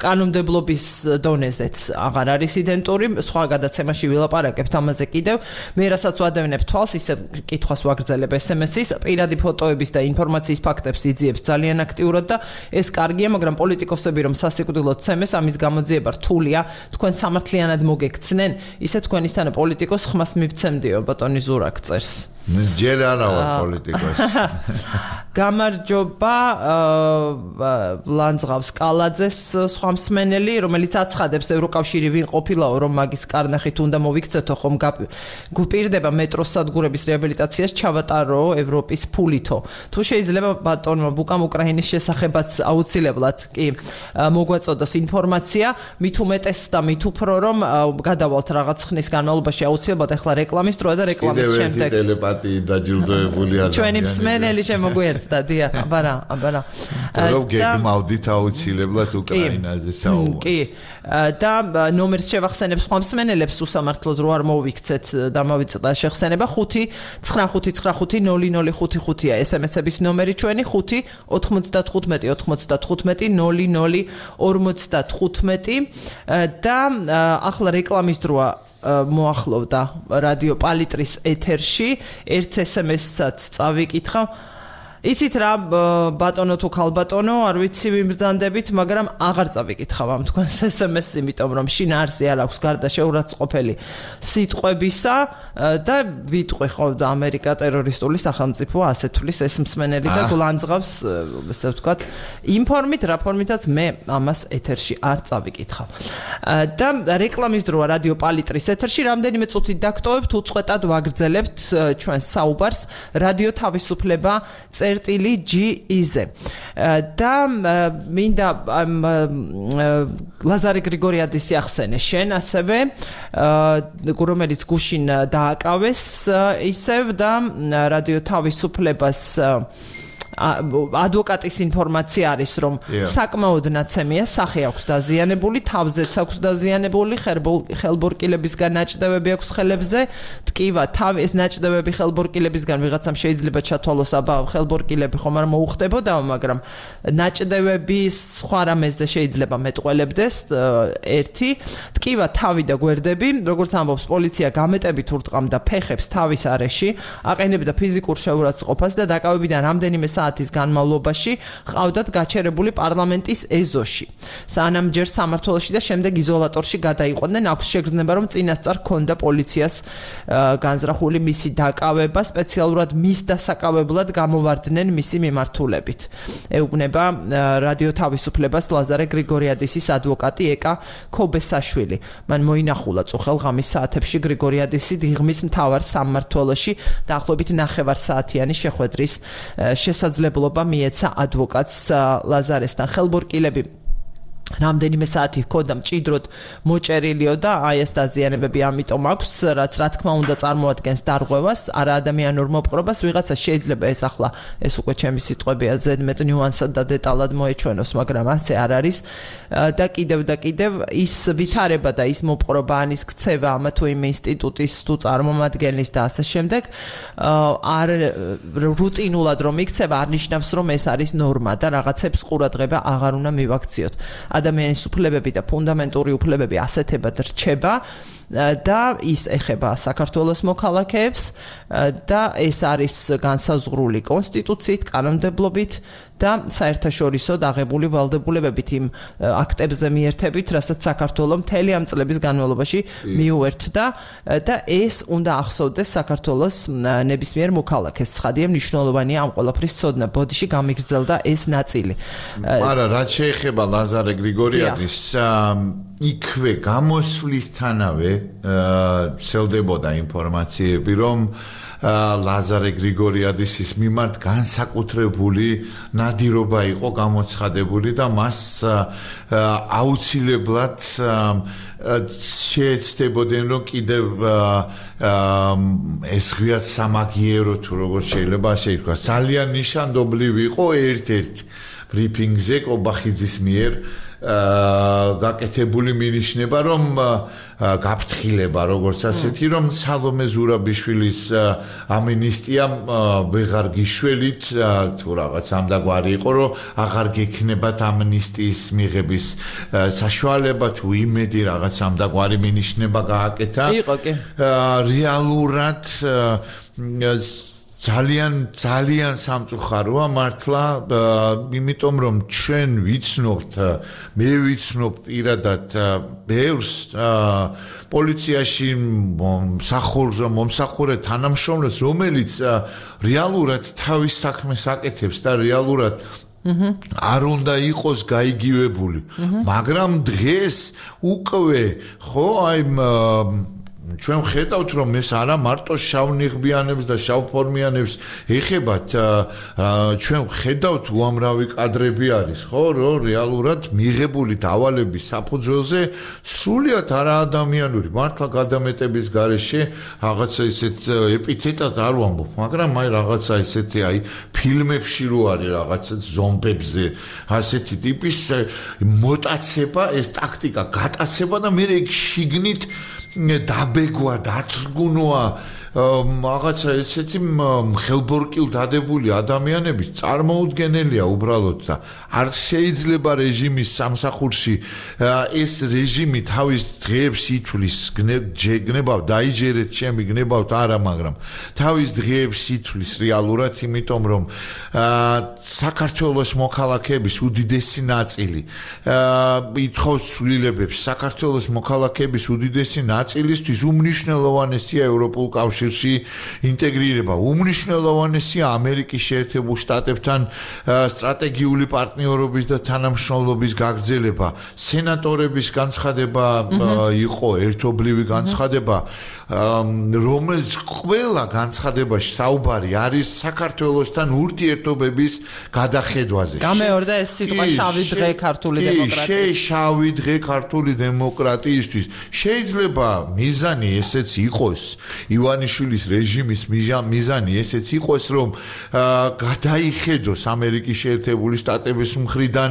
კანონმდებლობის დონეზეც აღარ არის იდენტური, სხვა გადაცემაში ვილაპარაკებთ ამაზე კიდევ. მე რასაც ვადევნებ თვალს, ისე კითხვას ვაგრძელებ SMS-ის, პირადი ფოტოების და ინფორმაციის ფაქტებს იძიებს ძალიან აქტიურად და ეს კარგია, მაგრამ პოლიტიკოსები რომ სასიკვდილოდ ცემეს, ამის გამოძიება რთულია, თქვენ სამართლიანად მოგექცნენ, ისე თქვენისთან პოლიტიკოს ხმას მივცემდიო, ბატონი ზურაკ წერს. ჯერ არა ვარ პოლიტიკოსი. გამარჯობა ლანძღავს კალაძეს სხვა მსმენელი, რომელიც აცხადებს ევროკავშირი ვინ ყოფილაო, რომ მაგის კარნახით უნდა მოვიქცეთო, ხომ გუპირდება მეტროს სადგურების რეაბილიტაციას ჩავატარო ევროპის ფულითო. თუ შეიძლება ბატონმა ბუკამ უკრაინის შესახებაც აუცილებლად კი მოგვაწოდოს ინფორმაცია, მით უმეტეს და მით უფრო რომ გადავალთ რაღაც ხნის განმავლობაში აუცილებლად ახლა რეკლამის დროა და რეკლამის შემდეგ დაჯილდოებული ადამიანი. ჩვენი მსმენელი შემოგვიერთდა, დიახ, აბარა. რომ გეგმავდით აუცილებლად უკრაინაზე საუბარს. კი. და ნომერს შევახსენებ სხვა მსმენელებს უსამართლოდ რო არ მოვიქცეთ დამავიწყდა შეხსენება 5-99500555-ია SMS-ების ნომერი ჩვენი 5-95-95-00-55 და ახლა რეკლამის დროა მოახლოვდა რადიო პალიტრის ეთერში ერთ SMS-საც წავიკითხავ. იცით რა ბატონო თუ ქალბატონო, არ ვიცი ვიმბრძანდებით, მაგრამ აღარ წავიკითხავ ამ თქვენს SMS-ს, იმიტომ რომ შინაარსი არ აქვს გარდა შეურაცხყოფელი სიტყვებისა და ვიტყვი ხო ამერიკა ტერორისტული სახელმწიფო ასე თulis ეს მსმენელი და გულანძღავს, ესე ვთქვათ, ინფორმით, რაფორმითაც მე ამას ეთერში არ წავიკითხავ. და რეკლამის დროა რადიო პალიტრის ეთერში რამდენიმე წუთით დაგტოვებთ, უწყვეტად ვაგრძელებთ ჩვენს საუბარს რადიო თავისუფლება GE-ზე. და მინდა ლაზარე გრიგორიადისი ახსენე შენ ასევე, რომელიც გუშინ დააკავეს ისევ და რადიო თავისუფლებას ადვოკატის ინფორმაცია არის, რომ საკმაოდ ნაცემია სახე აქვს დაზიანებული, თავზეც აქვს დაზიანებული, ხელბორკილებისგან ნაჭდევები აქვს ხელებზე, ტკივა, ეს ნაჭდევები ხელბორკილებისგან ვიღაცამ შეიძლება ჩათვალოს, აბა ხელბორკილები ხომ არ მოუხდებოდა, მაგრამ ნაჭდევები სხვა რამეზე შეიძლება მეტყველებდეს, ერთი, ტკივა, თავი და გვერდები, როგორც ამბობს პოლიცია, გამეტებით ურტყამდა ფეხებს თავის არეში, აყენებდა ფიზიკურ შეურაცხყოფას და დაკავებიდან რამდენიმე საათის განმავლობაში ყავდათ გაჩერებული პარლამენტის ეზოში. სანამ ჯერ სამმართველოში და შემდეგ იზოლატორში გადაიყვნენ, აქვს შეგრძნება, რომ წინასწარ ჰქონდა პოლიციას განზრახული მისი დაკავება, სპეციალურად მის დასაკავებლად გამოვარდნენ მისი მიმართულებით. ეუბნება რადიო თავისუფლებას ლაზარე გრიგორიადისის ადვოკატი ეკა ქობესაშვილი. მან მოინახულა წუხელ-ღამის საათებში გრიგორიადისი დიღმის მთავარ სამმართველოში დაახლოებით 9 საათიანი შეხვედრის შესაძლებლობა მიეცა ადვოკატს ლაზარესთან. ხელბორკილები რამდენიმე საათი ჰქონდა მჭიდროდ მოჭერილიო და აი ეს დაზიანებები ამიტომ აქვს, რაც რა თქმა უნდა წარმოადგენს დარღვევას, არა ადამიანურ მოპყრობას, ვიღაცა შეიძლება ეს ახლა ეს უკვე ჩემი სიტყვებია ზედმეტ ნიუანსად და დეტალად მოეჩვენოს, მაგრამ ასე არ არის და კიდევ ის ვითარება და ის მოპყრობა ან ის ქცევა ამა თუ იმ ინსტიტუტის თუ წარმომადგენლის და ასე შემდეგ არ რუტინულად რომ იქცევა არ ნიშნავს რომ ეს არის ნორმა და რაღაცებს ყურადღება აღარ უნდა მივაქციოთ. ადამიანის უფლებები და ფუნდამენტური უფლებები ასეთებად რჩება და ის ეხება საქართველოს მოქალაქეებს და ეს არის განსაზღვრული კონსტიტუციით, კანონმდებლობით და საერთაშორისო დაღებული ვალდებულებებით იმ აქტებზე მიერთებით, რასაც საქართველოს მთელი ამ წლების განმავლობაში მიუერთდა და ეს უნდა ახსოვდეს საქართველოს ნებისმიერ მოქალაქეს. ცხადია მნიშვნელოვანია ამ ყველაფრის ცოდნა. ბოდიში გამიგრძელდა ეს ნაწილი. მაგრამ რაც შეეხება ლაზარე გრიგორიაძის იქვე გამოსვლისთანავე ცელდებოდა ინფორმაციები, რომ ლაზარე გრიგორიაძის მიმართ განსაკუთრებული ნადირობა იყო გამოცხადებული და მას აუცილებლად შეეცდებოდნენ რომ კიდევ ეს ღიად სამაგიერო თუ როგორც შეიძლება ასე ითქვას ძალიან ნიშანდობლივი იყო ერთ-ერთ ბრიფინგზე კობახიძის მიერ გაკეთებული მინიშნება რომ გაფრთხილება როგორც ასეთი რომ სალომე ზურაბიშვილის ამინისტია ვეღარ გიშველით თუ რაღაც ამდაგვარი იყო რომ აღარ გექნებათ ამინისტიის მიღების საშუალება თუ იმედი რაღაც ამდაგვარი მინიშნება გააკეთა რეალურად ძალიან სამწუხაროა მართლა იმიტომ რომ ჩვენ ვიცნობთ მე ვიცნობ პირადად ბევრს პოლიციაში მომსახურე თანამშრომლებს რომელიც რეალურად თავის საქმეს აკეთებს და რეალურად არ უნდა იყოს გაიგივებული მაგრამ დღეს უკვე ხო აი ჩვენ ხედავთ რომ ეს არა მარტო შავნიღბიანებს და შავფორმიანებს ეხებათ ჩვენ ხედავთ უამრავი კადრები არის ხო რომ რეალურად მიღებული დავალების საფუძველზე სრულიად არაადამიანური მართლა გადამეტების გარეშე რაღაცა ისეთ ეპითეტად არ ვამბობ მაგრამ აი რაღაცა ისეთი აი ფილმებში რო არის რაღაცა ზომბებზე ასეთი ტიპის მოტაცება ეს ტაქტიკა გატაცება და მე ეგ შიგნით დაბეგვა, დათრგუნვა რაღაცა ესეთი ხელბორკილ დადებული ადამიანების წარმოუდგენელია უბრალოდ და არ შეიძლება რეჟიმის სამსახურში ეს რეჟიმი თავის დღეებს ითვლის გნებავ დაიჯერეთ ჩემი გნებავთ არა მაგრამ თავის დღეებს ითვლის რეალურად იმიტომ რომ საქართველოს მოქალაქეების უდიდესი ნაწილი ითხოვს ცვლილებებს საქართველოს მოქალაქეების უდიდესი ნაწილისთვის უმნიშვნელოვანესია ევროპულ კავშირში ინტეგრირება უმნიშვნელოვანესია ამერიკის შეერთებულ შტატებთან სტრატეგიული პარტნიორობის და თანამშრომლობის გაგრძელება სენატორების განცხადება იყო ერთობლივი განცხადება რომელიც ყველა განცხადებაში საუბარი არის საქართველოსთან ურთიერთობების გადახედვაზე გამეორდა ეს სიტყვა შავი დღე ქართული დემოკრატიის შავი დღე ქართული დემოკრატიისთვის შეიძლება მიზანი ესეც იყოს ივანიშვილის რეჟიმის მიზანი ესეც იყოს რომ გადაიხედოს ამერიკის შეერთებული შტატების მხრიდან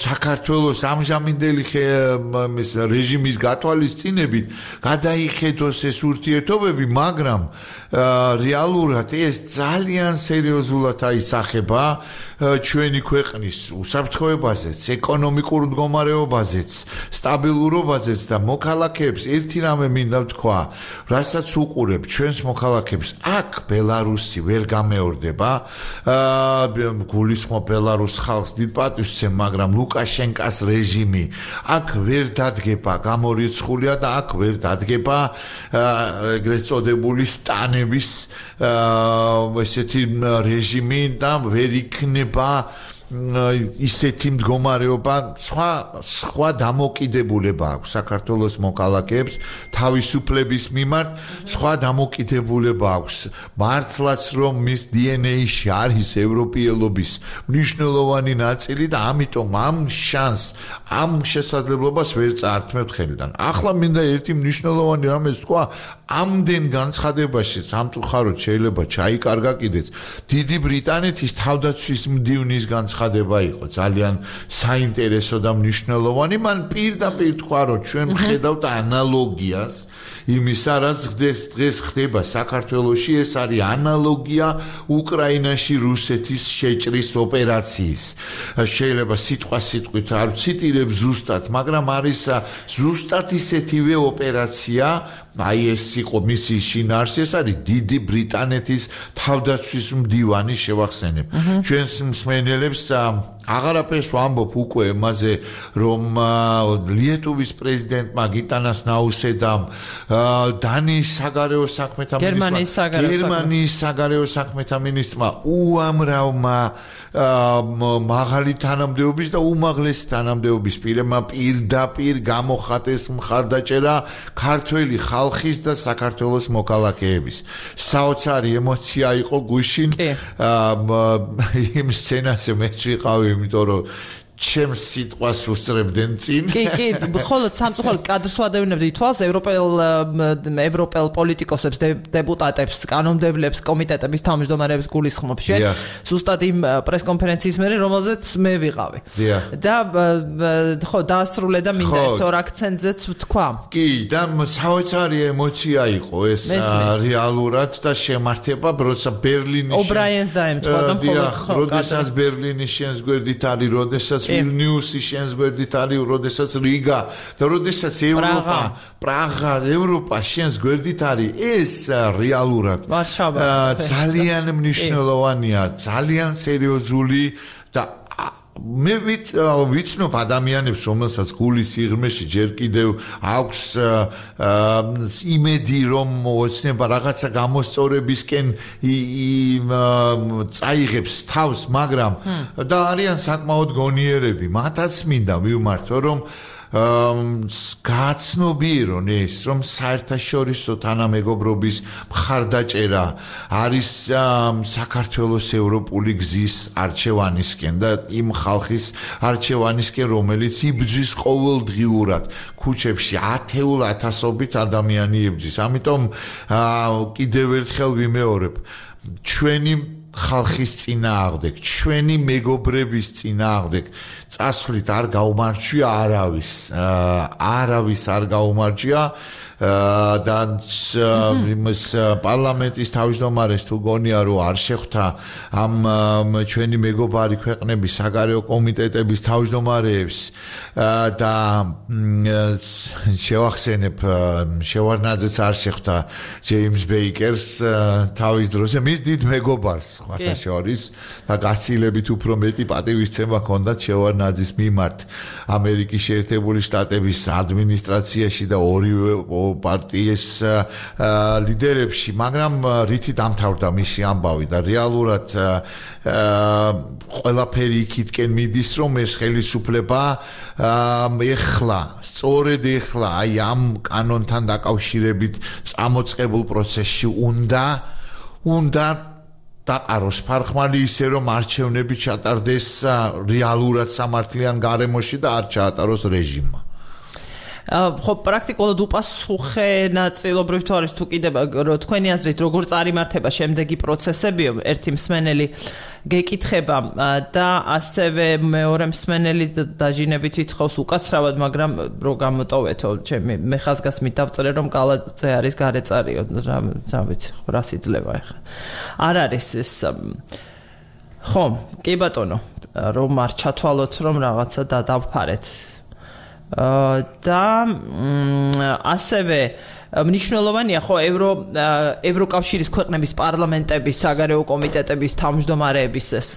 საქართველოს ამჟამინდელი რეჟიმის გათვალისწინებით გადაიხედოს ეს ურთიერთობები მაგრამ რეალურად ეს ძალიან სერიოზულად აისახება ჩვენი ქვეყნის უსაფრთხოებაზეც, ეკონომიკურ მდგომარეობაზეც, სტაბილურობაზეც და მოქალაქეებს ერთი რამე მინდა ვთქვა, რასაც უყურებ ჩვენს მოქალაქეებს, აქ ბელარუსი ვერ გამეორდება, გულისხმობ ბელარუს ხალხს დიდ პატივს ვცემ, მაგრამ ლუკაშენკას რეჟიმი აქ ვერ დადგება, გამორიცხულია და აქ ვერ დადგება ეგრეთ წოდებული სტანების ესეთი რეჟიმი და ვერ იქნება ისეთი მდგომარეობა სხვა დამოკიდებულება აქვს საქართველოს მოქალაქეებს თავისუფლების მიმართ სხვა დამოკიდებულება აქვს მართლაც რომ მის DNA-ში არის ევროპიელობის მნიშვნელოვანი ნაწილი და ამიტომ ამ შანსს ამ შესაძლებლობას ვერ წაართმევთ ხელიდან ახლა მინდა ერთი მნიშვნელოვანი რამეს თქვა ამდენ განცხადებაში სამწუხაროდ შეიძლება ჩაიკარგა კიდეც დიდი ბრიტანეთის თავდაცვის მდივნის განცხადება იყო ძალიან საინტერესო და მნიშვნელოვანი მან პირდაპირ თქვა რომ ჩვენ ვხედავთ ანალოგიას იმისა რაც დღეს ხდება საქართველოში ეს არის ანალოგია უკრაინაში რუსეთის შეჭრის ოპერაციის შეიძლება სიტყვით არ ვციტირებ ზუსტად მაგრამ არის ზუსტად ისეთივე ოპერაცია აი ეს იყო მისი შინაარსი ეს არის დიდი ბრიტანეთის თავდაცვის მდივანი შევახსენებ ჩვენს მსმენელებს აღარაფერს ვამბობ უკვე მასზე რომ ლიეტუვის პრეზიდენტმა გიტანას ნაუსედამ დანიის საგარეო საქმეთა მინისტრმა გერმანიის საგარეო საქმეთა მინისტრმა უამრავმა მაღალი თანამდებობის და უმაღლესი თანამდებობის პირებმა პირდაპირ გამოხატეს მხარდაჭერა ქართველი ხალხის და საქართველოს მოქალაქეების საოცარი ემოცია იყო გუშინ იმ სცენაზე მეც ვიყავი იმიტომ რომ ჩემს სიტყვას უსწრებდნენ წინ. კი, მხოლოდ სამწუხაროდ კადრს ვადევნებდი თვალს ევროპელ პოლიტიკოსებს, დეპუტატებს, კანონმდებლებს, კომიტეტების თავმჯდომარეებს გულისხმობ შენ. ზუსტად იმ პრესკონფერენციის მერე, რომელზეც მე ვიყავი. და ხო, დაასრულე და მინდა ერთ ორ აქცენტზეც ვთქვა. კი, და საოცარი ემოცია იყო ეს რეალურად და შემართება, როცა ბერლინის ობრაიენს დაემთხვა და მხოლოდ ხო. როდესაც ბერლინის შენს გვერდით არის, როდესაც ვილნიუსი შენს გვერდით არის, როდესაც რიგა და როდესაც პრაღა, ევროპა შენს გვერდით არის, ეს რეალურად ძალიან მნიშვნელოვანია, ძალიან სერიოზული და მე ვიცნობ ადამიანებს, რომელსაც გულის სიღრმეში ჯერ კიდევ აქვს იმედი, რომ ოცნება რაღაცა გამოსწორებისკენ წაიღებს თავს, მაგრამ და არიან საკმაოდ გონიერები. მათაც მინდა მივმართო, რომ გააცნობიერონ ეს, რომ საერთაშორისო თანამეგობრობის მხარდაჭერა არის საქართველოს ევროპული გზის არჩევანისკენ და იმ ხალხის არჩევანისკენ, რომელიც იბრძვის ყოველდღიურად ქუჩებში ათეულ ათასობით ადამიანი იბრძვის. ამიტომ კიდევ ერთხელ ვიმეორებ, ჩვენი ხალხის წინააღმდეგ, ჩვენი მეგობრების წინააღმდეგ წასვლით არ გაუმარჯვია არავის არ გაუმარჯვია და იმის პარლამენტის თავმჯდომარეს თუ გონია რომ არ შეხვდა ამ ჩვენი მეგობარი ქვეყნების საგარეო კომიტეტების თავმჯდომარეებს და შევახსენებ შევარდნაძეც არ შეხვდა ჯეიმს ბეიკერს თავის დროზე მის დიდ მეგობარს სხვათა შორის და გაცილებით უფრო მეტი პატივისცემა ჰქონდა შევარდნაძის მიმართ ამერიკის შეერთებული შტატების ადმინისტრაციაში და ორივე პარტიის ლიდერებში, მაგრამ რითი დამთავრდა მისი ამბავი და რეალურად ყველაფერი იქითკენ მიდის, რომ ეს ხელისუფლება სწორედ ეხლა აი ამ კანონთან დაკავშირებით წამოწყებულ პროცესში უნდა დაყაროს ფარხმალი ისე, რომ არჩევნები ჩატარდეს რეალურად სამართლიან გარემოში და არ ჩაატაროს რეჟიმმა. ხო პრაქტიკულად უპასუხე ნაწილობრივ თუ არის თუ კიდევ თქვენი აზრით როგორ წარიმართება შემდეგი პროცესები ერთი მსმენელი გეკითხება და ასევე მეორე მსმენელი დაჟინებით ითხოვს უკაცრავად მაგრამ რო გამოტოვეთო მე ხაზგასმით დავწერე რომ კალათზე არის გარეწარიო რა ვიცი რა სიძლევა ახლა არ არის ეს ხო კი ბატონო რომ არ ჩათვალოთ რომ რაღაცა დავფარეთ და ასევე მნიშვნელოვანია ხო ევროკავშირის ქვეყნების პარლამენტების საგარეო კომიტეტების თავმჯდომარეების ეს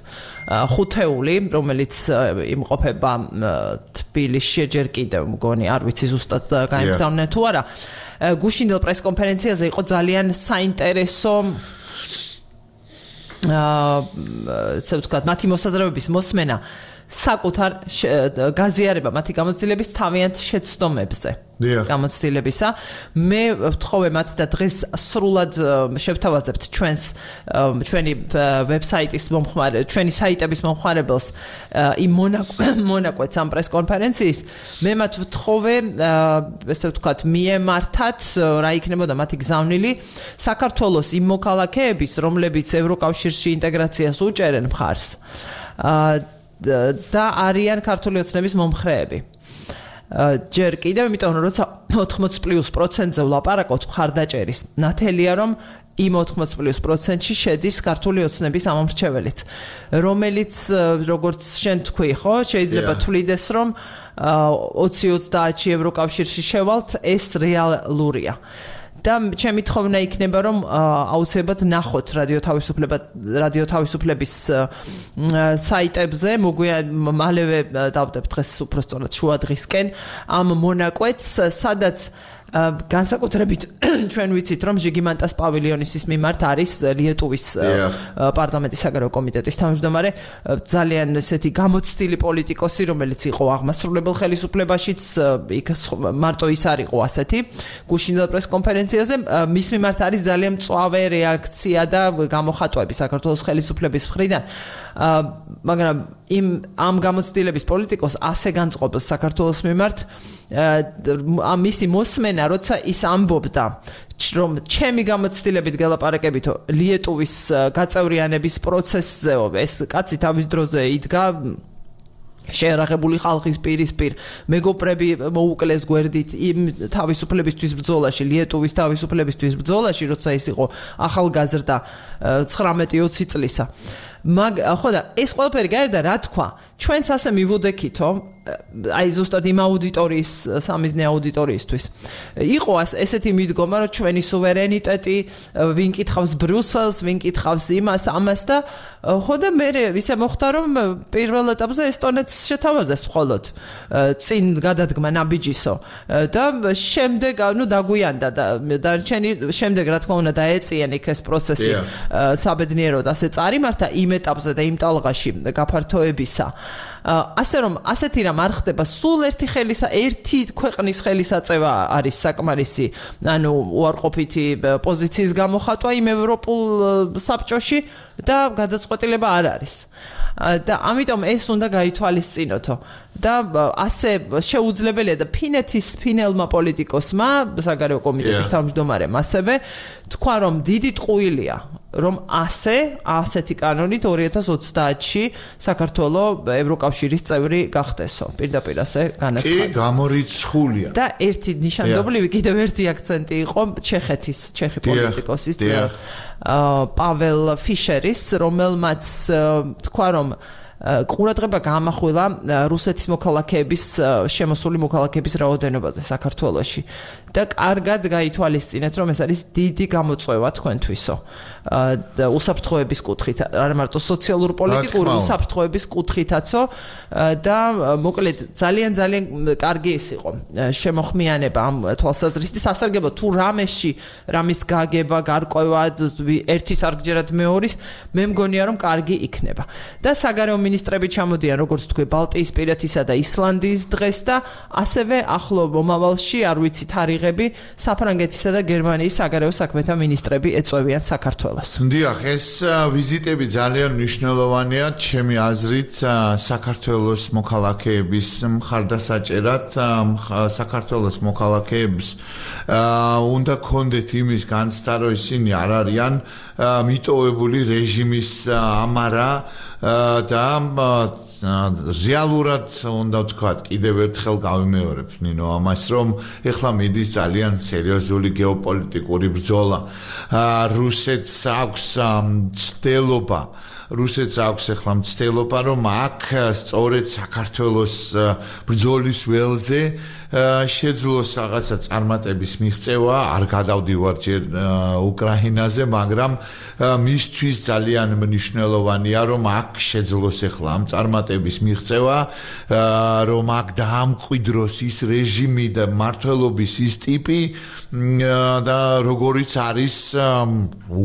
ხუთეული რომელიც იმყოფება თბილისში ჯერ კიდევ მგონი არ ვიცი ზუსტად გაიგზავნენ თუ არა გუშინდელ პრესკონფერენციაზე იყო ძალიან საინტერესო ესე ვთქვათ, მათი მოსაზრებების მოსმენა საკუთარ გაზიარება მათი გამოცდილების თავიანთ შეცდომებზე. გამოცდილებისა. მე ვთხოვე მათ და დღეს სრულად შევთავაზებთ ჩვენი ვებსაიტის მომხმარე, ჩვენი საიტების მომხმარებელს იმ მონაკვეთს ამ პრეს-კონფერენციის. მე მათ ვთხოვე, ესე ვთქვათ, მიემართათ რა იქნებოდა მათი გზავნილი საქართველოს იმ მოქალაქეების, რომლებიც ევროკავშირში ინტეგრაციას უჭერენ მხარს. და არიან ქართული ოცნების მომხრეები. ჯერ კიდევ, იმიტომ რომ როცა 80+%-ზე ვლაპარაკობთ მხარდაჭერის, ნათელია რომ იმ 80+%-ში შედის ქართული ოცნების ამომრჩეველიც, რომელიც როგორც შენ თქვი, ხო, შეიძლება თვლიდეს რომ 20-30-ში ევროკავშირში შევალთ, ეს რეალურია. და ჩემი თხოვნა იქნება რომ აუცილებლად ნახოთ რადიო თავისუფლების საიტებზე მალევე დავდებთ დღეს უბრალოდ შუა დღისკენ ამ მონაკვეთს სადაც განსაკუთრებით ჩვენ ვიცით რომ ჟიგიმანტას პავილიონის მიმართ არის ლიეტუვის პარლამენტის საგარეო კომიტეტის თავმჯდომარე ძალიან ესეთი გამოცდილი პოლიტიკოსი რომელიც იყო აღმასრულებელ ხელისუფლებაშიც იქ მარტო ის არ იყო ასეთი გუშინდელ პრეს-კონფერენციაზე მის მიმართ არის ძალიან მწვავე რეაქცია და გამოხატვები საქართველოს ხელისუფლების მხრიდან მაგრამ ამ გამოცდილების პოლიტიკოს ასე განწყობილს საქართველოს მიმართ მისი მოსმენა როცა ის ამბობდა რომ ჩემი გამოცდილებით გელაპარაკებითო ლიეტუვის გაწევრიანების პროცესზეო ეს კაცი თავის დროზე იდგა შეერაღებული ხალხის პირისპირ მეგობრები მოუკლეს გვერდით იმ თავისუფლებისთვის ბრძოლაში ლიეტუვის თავისუფლებისთვის ბრძოლაში როცა ის იყო ახალგაზრდა 19-20 წლისა ხო და ეს ყველაფერი გარდა რა თქვა ჩვენც ასე მივუდექითო აი ზუსტად იმ აუდიტორიის სამიზნე აუდიტორიისთვის იყო ესეთი მიდგომა რომ ჩვენი სუვერენიტეტი ვინ კითხავს ბრიუსელს ვინ კითხავს იმას ამას და ხო და მე ისე მოხდა რომ პირველ ეტაპზე ესტონეთს შეთავაზეს მხოლოდ წინ გადადგმა ნაბიჯისო და შემდეგ ნუ დაგვიანდა და დარჩენი შემდეგ რა თქმა უნდა დაეწიენ იქ ეს პროცესი საბედნიეროდ ასე წარიმართა იმ ეტაპზე და იმ ტალღაში გაფართოებისა ასე რომ ასეთი რამ არ ხდება სულ ერთი ქვეყნის ხელისაწევა არის საკმარისი ანუ უარყოფითი პოზიციის გამოხატვა იმ ევროპულ საბჭოში და გადაწყვეტილება არ არის და ამიტომ ეს უნდა გაითვალისწინოთო და ასე შეუძლებელია და ფინელმა პოლიტიკოსმა საგარეო კომიტეტის თავმჯდომარემ ასევე თქვა რომ დიდი ტყუილია რომ ასეთი კანონით 2030-ში საქართველოს ევროკავშირის წევრი გახდესო პირდაპირ ასე განაცხადა. კი, გამორიცხულია. და ერთი ნიშანდობლივი კიდევ ერთი აქცენტი იყო ჩეხი პოლიტიკოსის პაվել ფიშერის რომელმაც თქვა რომ ყურადღება გაამახვილა რუსეთის მოქალაქეების შემოსული მოქალაქეების რაოდენობაზე საქართველოში და კარგად გაითვალისწინეთ რომ ეს არის დიდი გამოწვევა თქვენთვისო და უსაფრთხოების კუთხით არა მარტო სოციალურ პოლიტიკური უსაფრთხოების კუთხითაცო და მოკლედ ძალიან კარგი ის იყო შემოხმიანება ამ თვალსაზრისით სასარგებლო თუ რამის გაგება გარკვევა ერთის არგჯერად მეორის მე მგონია რომ კარგი იქნება და საგარეო მინისტრები ჩამოდიან როგორც თქვი ბალტიისპირეთისა და ისლანდიის დღეს და ასევე ახლო მომავალში არ ვიცი თარიღები საფრანგეთისა და გერმანიის საგარეო საქმეთა მინისტრები ეწევიან საქართველოს. დიახ, ეს ვიზიტები ძალიან მნიშვნელოვანია ჩემი აზრით საქართველოს მოქალაქეების მხარდასაჭერად საქართველოს მოქალაქეებს უნდა კონდეთ იმის განცდა რომ ისინი არ არიან მიტოვებული რეჟიმის ამარა და რეალურად უნდა ვთქვათ კიდევ ერთხელ გავიმეორებ ნინო ამას რომ ეხლა მიდის ძალიან სერიოზული გეოპოლიტიკური ბრძოლა რუსეთს აქვს ეხლა მცდელობა რომ აქ სწორედ საქართველოს ბრძოლის ველზე შეძლოს რაღაცა წარმატების მიღწევა არ გადავდივარ ჯერ უკრაინაზე მაგრამ მისთვის ძალიან მნიშვნელოვანია რომ აქ შეძლოს ეხლა ამ წარმატების მიღწევა რომ აქ დაამკვიდროს ის რეჟიმი და მმართველობის ის ტიპი და როგორიც არის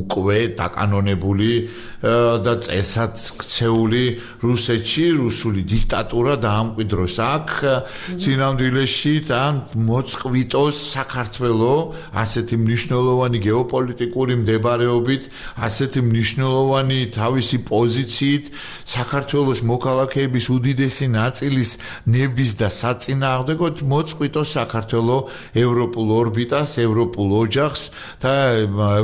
უკვე დაკანონებული და წესად ქცეული რუსეთში რუსული დიქტატურა დაამკვიდროს აქ წინამძილეში და მოწყვიტოს საქართველოს ასეთი მნიშვნელოვანი გეოპოლიტიკური მდებარეობით, ასეთი მნიშვნელოვანი თავისი პოზიციით საქართველოს მოქალაქეების უდიდესი ნაწილის ნების და საწინააღმდეგოდ მოწყვიტოს საქართველოს ევროპულ ორბიტას, ევროპულ ოჯახს და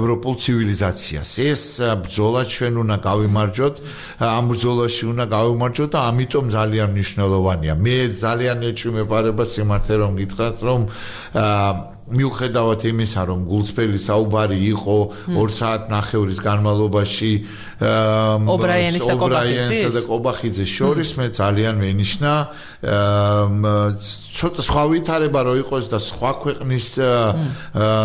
ევროპულ ცივილიზაციას. ეს ბრძოლა ჩვენ უნდა გავიმარჯვოთ, ამ ბრძოლაში უნდა გავიმარჯვოთ და ამიტომ ძალიან მნიშვნელოვანია. მე ძალიან ეჭვმეპარება სიმართლე რომ გითხრათ, რომ მიუხედავად იმისა, რომ გულწრფელი საუბარი იყო 2 საათნახევრის განმავლობაში ობრაიანსა და ყობახიძეს შორის, მე ძალიან მენიშნა ცოტა სხვა ვითარება რო იყოს და სხვა ქვეყნის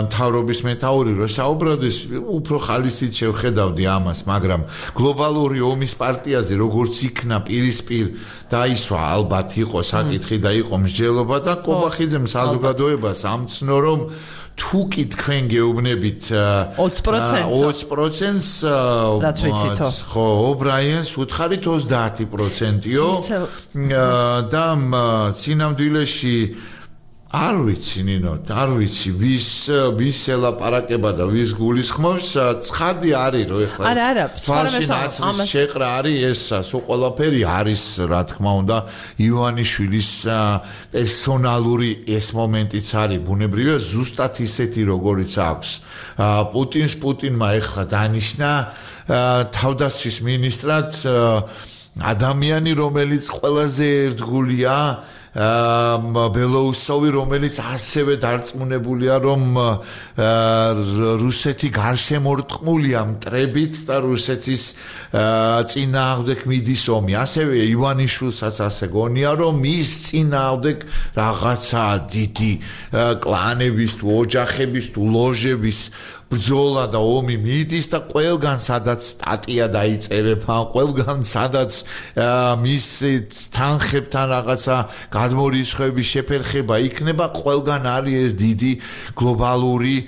მთავრობის მეთაური რო საუბრობდეს, უფრო ხალისით შევხედავდი ამას, მაგრამ გლობალური ომის პარტიაზე როგორც იქნა პირისპირ დაისვა, ალბათ იყო საკითხი და იყო მსჯელობა და ყობახიძემ საზოგადოებას ამცნო, რომ თუ კი თქვენ გეუბნებით 20%-ს რაც ვიცითო. ხო, ობრაიანს უთხარით 30%-იო და წინამძილეში არ ვიცი ნინო, არ ვიცი ვის ელაპარაკება და ვის გულისხმობს, ცხადი არის რომ ეხლა ფალში ნაცრის შეყრა არის ეს ყველაფერი არის რა თქმა უნდა ივანიშვილის პერსონალური ეს მომენტიც არის ბუნებრივია ზუსტად ისეთი როგორიც აქვს პუტინმა ეხლა დანიშნა თავდაცვის მინისტრად ადამიანი რომელიც ყველაზე ერთგულია ბელოუსოვი რომელიც ასევე დარწმუნებულია რომ რუსეთი გარშემორტყმულია მტრებით და რუსეთის წინააღმდეგ მიდის ომი ასევე ივანიშვილსაც ასე გონია რომ ის წინააღმდეგ რაღაცა დიდი კლანების თუ ოჯახების თუ ლოჟების ბრძოლა და ომი მიდის და ყველგან სადაც სტატია დაიწერება, ყველგან სადაც მის თანხებთან რაღაცა გადმორისხების შეფერხება იქნება, ყველგან არის ეს დიდი გლობალური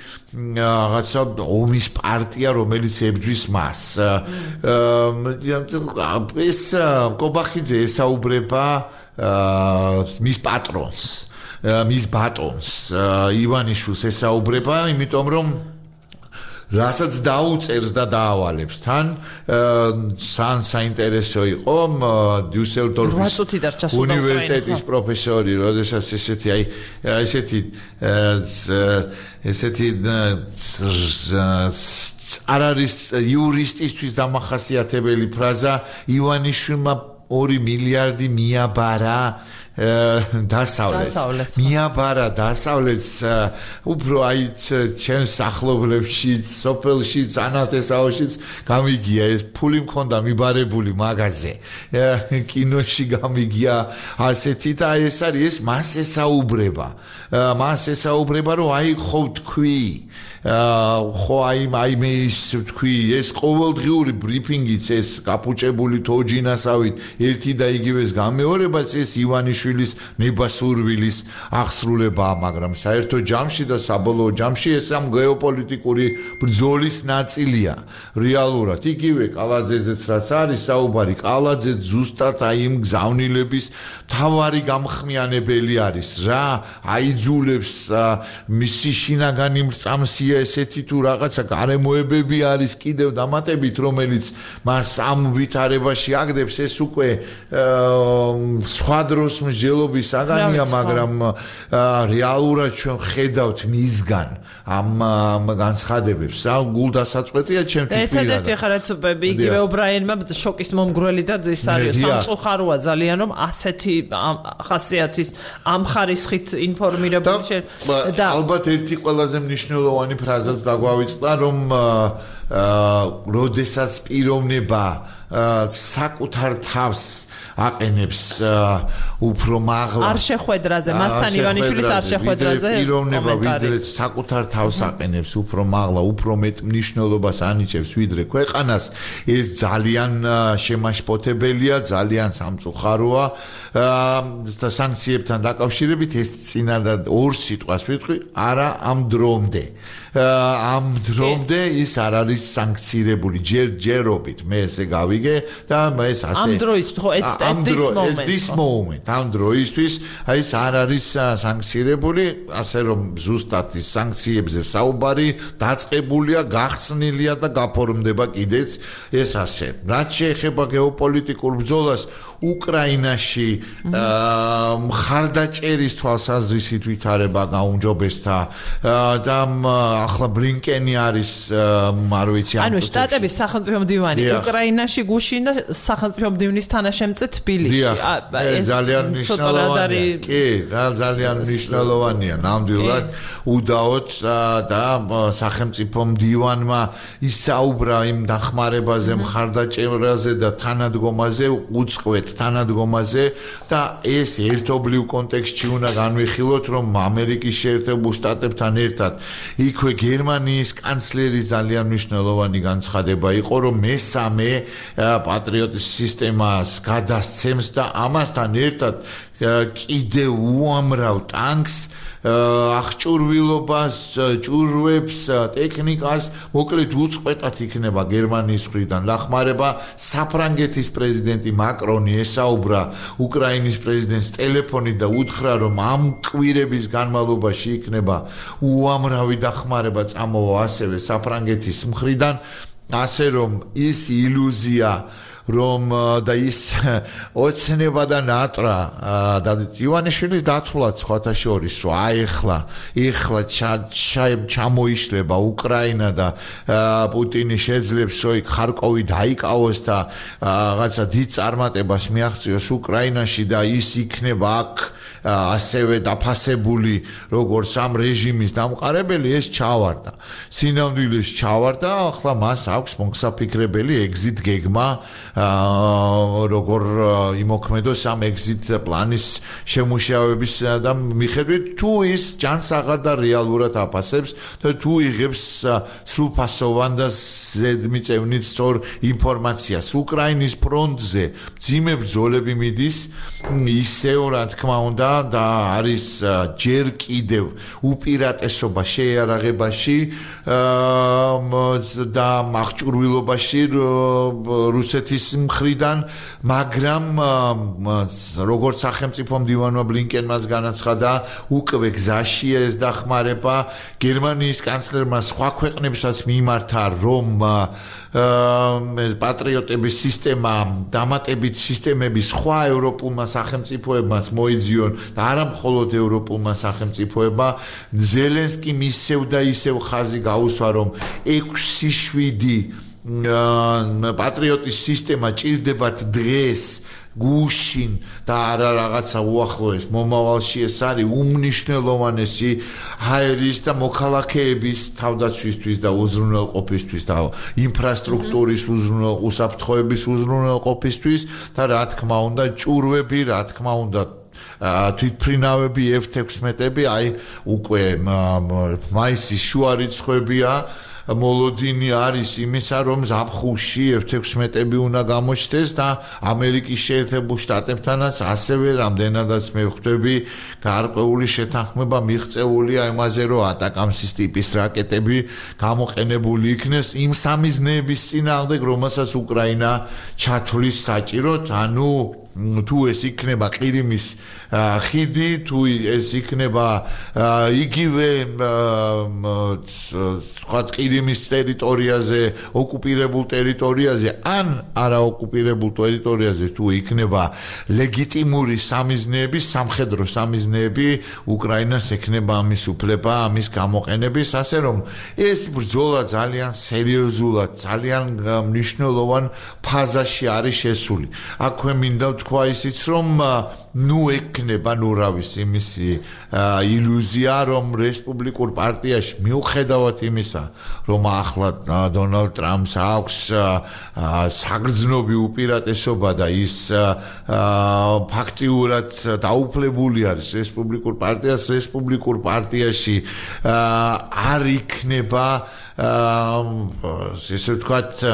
რაღაცა ომის პარტია, რომელიც ებრძვის მას. ეს ყობახიძე ესაუბრება მის პატრონს, მის ბატონს, ივანიშვილს ესაუბრება, იმიტომ რომ რასაც დაუწერს და დაავალებს თან საინტერესო იყო დიუსელდორფის უნივერსიტეტის პროფესორი, როდესაც ესეთი არ არის იურისტისთვის დამახასიათებელი ფრაზა ივანიშვილმა 2 მილიარდი მიაბარა დასავლეთს მიაბარა დასავლეთს უფრო აი ჩემს სახლობლებშიც სოფელშიც ანათესაოშიც გამიგია ეს ფული მქონდა მიბარებული მაღაზე კინოში გამიგია ასეთი და ეს არის ეს მას ესაუბრება რომ აი ხო თქვი ხო აი მე ის თქვი ეს ყოველდღიური ბრიფინგიც ეს კაპუჭებული თოჯინასავით ერთი და იგივეს გამეორებაც ეს ივანიშვილის ნებასურვილის აღსრულებაა მაგრამ საერთო ჯამში და საბოლოო ჯამში ეს ამ გეოპოლიტიკური ბრძოლის ნაწილია რეალურად იგივე კალაძეზეც რაც არის საუბარი კალაძე ზუსტად აი იმ გზავნილების თავარი გამხმიანებელი არის რა აიძულებს მისი შინაგანი მრწამსია ესეთი თუ რაღაცა გარემოებები არის კიდევ დამატებით რომელიც მას ამ ვითარებაში აგდებს ეს უკვე სხვა დროს მსჯელობის საგანია მაგრამ რეალურად ჩვენ ხედავთ მისგან ამ განცხადებებს რა გულდასაწყვეტია ჩემთვის პირადად ერთადერთი ხარაც იგივე ობრაინმა შოკის მომგვრელი და ის არის სამწუხაროა ძალიან რომ ასეთი ხასიათის ამ ხარისხით ინფორმირებული და ალბათ ერთი ყველაზე მნიშვნელოვანი ფრაზაც დაგვავიწყდა რომ როდესაც პიროვნება საკუთარ თავს აყენებს უფრო მაღლა არ შეხვედრაზე მასთან ივანიშვილის არ შეხვედრაზე პიროვნება ვიდრე საკუთარ თავს აყენებს უფრო მაღლა უფრო მეტ მნიშვნელობას ანიჭებს ვიდრე ქვეყანას ეს ძალიან შემაშფოთებელია ძალიან სამწუხაროა და სანქციებთან დაკავშირებით ეს წინადად ორ სიტყვას ვიტყვი არა ამ დრომდე ის არ არის არის სანქცირებული ჯერჯერობით მე ესე გავიგე და ეს ასე ამ დროისთვის ხო this moment ამ დროისთვის აი ეს არ არის სანქცირებული ასე რომ ზუსტად ის სანქციებზე საუბარი დაწყებულია გახსნილია და გაფორმდება კიდეც ეს ასე რაც შეეხება გეოპოლიტიკურ ბრძოლას უკრაინაში მხარდაჭერის თვალსაზრისით ვითარება გაუმჯობესდა და ახლა ბლინკენი არის არ ვიცი ანუ შტატების სახელმწიფო მდივანი უკრაინაში გუშინ და სახელმწიფო მდივნის თანაშემწე თბილისში ეს ძალიან მნიშვნელოვანია კი ძალიან მნიშვნელოვანია ნამდვილად უდაოდ და სახელმწიფო მდივანმა ისაუბრა იმ დახმარებაზე მხარდაჭერაზე და თანადგომაზე უწყვეტ თანადგომაზე და ეს ერთობლივ კონტექსტში უნდა განვიხილოთ რომ ამერიკის შეერთებულ შტატებთან ერთად იქვე გერმანიის კანცლერის ძალიან მნიშვნელოვანი განცხადება იყო რომ მესამე პატრიოტის სისტემას გადასცემს და ამასთან ერთად კიდევ უამრავ ტანკს აღჭურვილობას, ჭურვებს, ტექნიკას, მოკლედ უწყვეტად იქნება გერმანიის მხრიდან დახმარება. საფრანგეთის პრეზიდენტი მაკრონი ესაუბრა უკრაინის პრეზიდენტს ტელეფონით და უთხრა, რომ ამ კვირების განმავლობაში იქნება უამრავი დახმარება წამოვა ასევე საფრანგეთის მხრიდან, ასე რომ ის ილუზია რომ და ის ოცნება და ნატრა და ივანიშვილის დათვლაც სხვათა შორისო ეხლა ჩამოიშლება უკრაინა და პუტინი შეძლებს იქ ხარკოვი დაიკავოს და რაღაცა დიდ წარმატებას მიაღწიოს უკრაინაში და ის იქნება აქ ასევე დაფასებული როგორც ამ რეჟიმის დამყარებელი ეს ჩავარდა სინამდვილეს ჩავარდა ახლა მას აქვს მოგსაფიქრებელი exit გეგმა როგორ იმოქმედოს ამ exit პლანის შემუშავების და მიხედვით თუ ის ჯანსაღად და რეალურად აფასებს და თუ იღებს სრულფასოვან და ზედმიწევნით სწორ ინფორმაციას უკრაინის ფრონტზე მძიმე ბრძოლები მიდის ისევ რა თქმა უნდა და არის ჯერ კიდევ უპირატესობა შეიარაღებაში და აღჭურვილობაში რუსეთის მხრიდან მაგრამ როგორც სახელმწიფო მდივანმა ბლინკენმაც განაცხადა უკვე გზაშია ეს დახმარება გერმანიის კანცლერმა სხვა ქვეყნებსაც მიმართა რომ პატრიოტების სისტემა დამატებით სისტემები სხვა ევროპულმა სახელმწიფოებმაც მოიძიონ და არა მხოლოდ ევროპულმა სახელმწიფოებმა ზელენსკიმ ისევ და ისევ ხაზი გაუსვა რომ 6-7 პატრიოტის სისტემა ჭირდებათ დღეს გუშინ და არა რაღაცა უახლოეს მომავალში ეს არის უმნიშვნელოვანესი ჰაერის და მოქალაქეების თავდაცვისთვის და უზრუნველყოფისთვის და ინფრასტრუქტურის უსაფრთხოების უზრუნველყოფისთვის და რა თქმა უნდა ჭურვები რა თქმა უნდა თვითფრინავები F-16-ები აი უკვე მაისის შუა რიცხვებია მოლოდინი არის იმისა რომ ზაფხულში F-16-ები უნდა გამოჩნდეს და ამერიკის შეერთებულ შტატებთანაც ასევე რამდენადაც მე ვხვდები გარკვეული შეთანხმება მიღწეულია იმაზე რომ ატაკამსის ტიპის რაკეტები გამოყენებული იქნეს იმ სამიზნეების წინააღმდეგ რომელსაც უკრაინა ჩათვლის საჭიროდ ანუ თუ ეს იქნება ყირიმის ხიდი თუ ეს იქნება იგივე სხვა ყირიმის ტერიტორიაზე ოკუპირებულ ტერიტორიაზე ან არაოკუპირებულ ტერიტორიაზე თუ იქნება ლეგიტიმური სამიზნეები სამხედრო სამიზნეები უკრაინას ექნება ამის უფლება ამის გამოყენების ასე რომ ეს ბრძოლა ძალიან სერიოზულად ძალიან მნიშვნელოვან ფაზაში არის შესული აქვე მინდა თქვა ისიც რომ ნუ ექნება ნუ რა ვიცი იმისი ილუზია რომ რესპუბლიკურ პარტიაში მიუხედავად იმისა რომ ახლა დონალდ ტრამპს აქვს საგრძნობი უპირატესობა და ის ფაქტიურად დაუფლებული არის რესპუბლიკურ პარტიაში არ იქნება ესე ვთქვათ,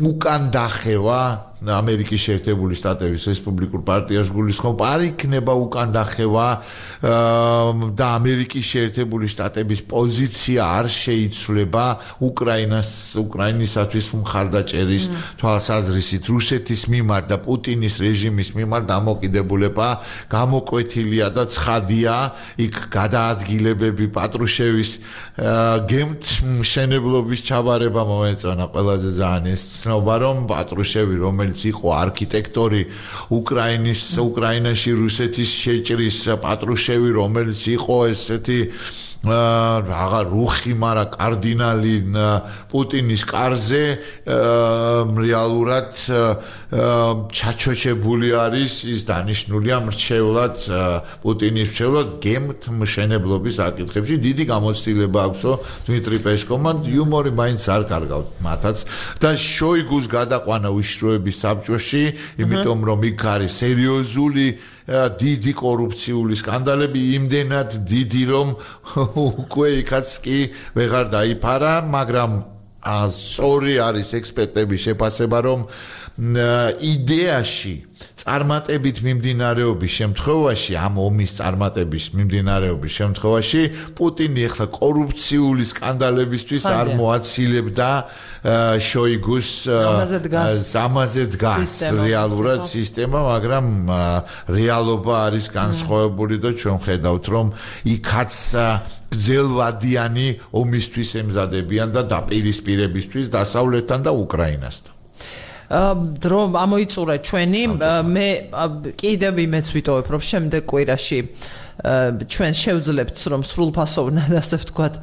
უკან დახევა ამერიკის შეერთებული შტატების რესპუბლიკურ პარტიას გულისხმობ, არ იქნება უკან დახევა და ამერიკის შეერთებული შტატების პოზიცია არ შეიცვლება უკრაინისათვის მხარდაჭერის თვალსაზრისით რუსეთის მიმართ და პუტინის რეჟიმის მიმართ დამოკიდებულება გამოკვეთილია და ცხადია, იქ გადაადგილებები პატრუშევის გემთ მშენებლობის ჩაბარება მოეწონა ყველაზე ძალიან ეს ცნობა, რომ პატრუშევი რომელიც იყო არქიტექტორი უკრაინაში რუსეთის შეჭრის პატრუშევი რომელიც იყო ესეთი რაღა რუხი, მაგრამ კარდინალი პუტინის კარზე რეალურად ჩაჩოჩებული არის ის დანიშნულია მრჩევლად პუტინის მრჩევლად გემთ მშენებლობის საკითხებში დიდი გამოცდილება აქვსო დმიტრი პესკოვმა იუმორი მაინც არ კარგავთ მათაც და შოიგუს გადაყვანა უშროების საბჭოში იმიტომ რომ იქ არის სერიოზული დიდი კორუფციული სკანდალები იმდენად დიდი რომ უკვე იქაც კი ვეღარ დაიფარა მაგრამ სწორი არის ექსპერტების შეფასება რომ იდეაში წარმატებით მიმდინარეობის შემთხვევაში ამ ომის წარმატების მიმდინარეობის შემთხვევაში პუტინი ახლა კორუფციული სკანდალებისთვის არ მოაცილებდა შოიგუს ამაზე დგას რეალურად სისტემა მაგრამ რეალობა არის განსხვავებული და ჩვენ ხედავთ რომ იქაც გრძელვადიანი ომისთვის ემზადებიან და დაპირისპირებისთვის დასავლეთთან და უკრაინასთან დრო ამოიწურა ჩვენი მე კიდევ იმეც ვიტოვებ რომ შემდეგ კვირაში ჩვენ შევძლებთ რომ სრულფასოვნად ასე ვთქვათ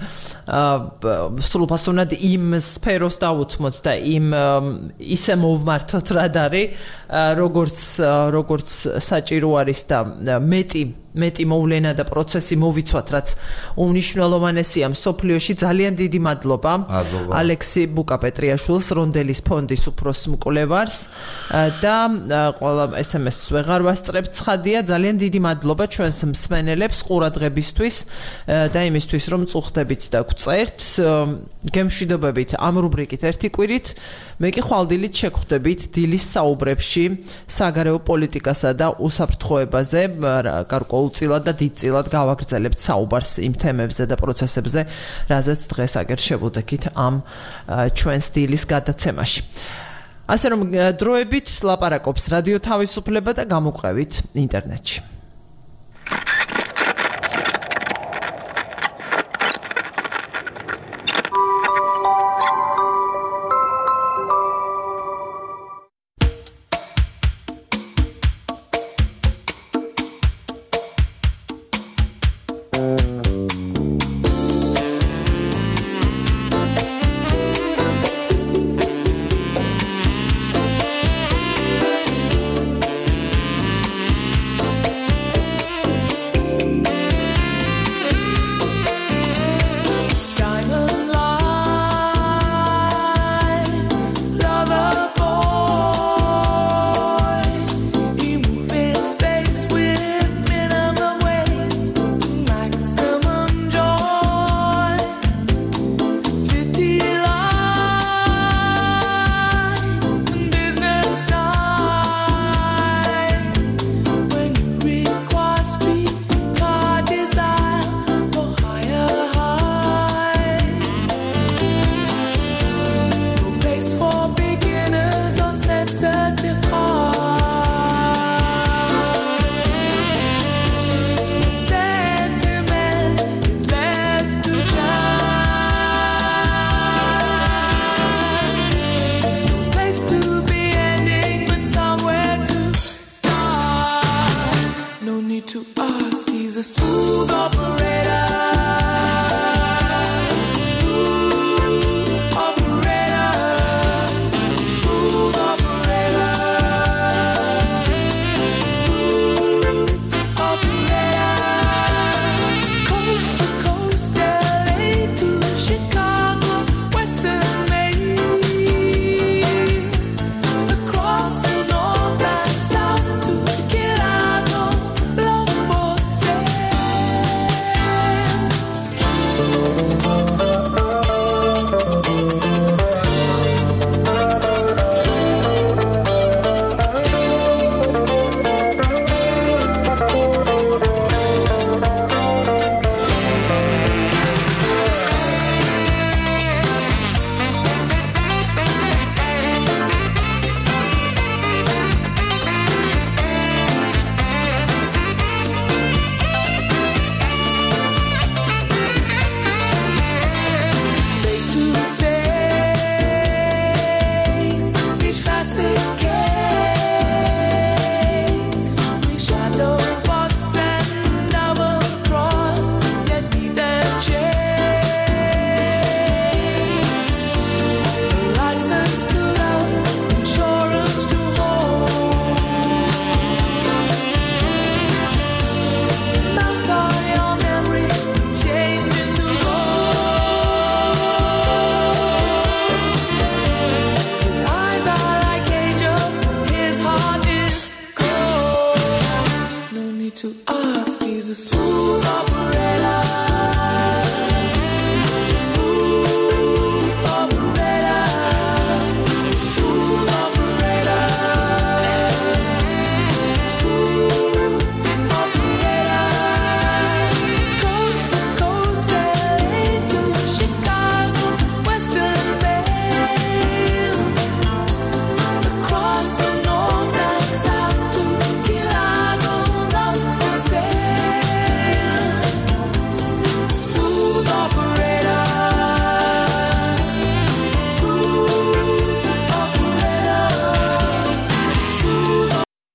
სრულფასოვნად იმ სფეროს დავუთმოთ და იმ ისე მოვმართოთ რა არის როგორც საჭირო არის და მეტი მოვლენა და პროცესი მოვიცვათ რაც უმნიშვნელოვანესია მსოფლიოში ძალიან დიდი მადლობა ალექსი ბუკაპეტრიაშვილს რონდელის ფონდის უფროს მკვლევარს და ყველა SMS-ს ვეღარ ვასწრებ ცხადია ძალიან დიდი მადლობა ჩვენს მსმენელებს ყურადღებისთვის და იმისთვის რომ წუხდებით და გვწერთ გემშვიდობებით ამ რუბრიკით ერთი კვირით მე კი ხვალდილით შეგხვდებით დილის საუბრებში საგარეო პოლიტიკასა და უსაფრთხოებაზე გარკვეულწილად და დიდწილად გავაგრძელებთ საუბარს იმ თემებზე და პროცესებზე რაზეც დღეს აგერ შევუდექით ამ ჩვენს დილის გადაცემაში ასე რომ დროებით ლაპარაკობს რადიო თავისუფლება და გამოყვებით ინტერნეტში To ask, he's a smooth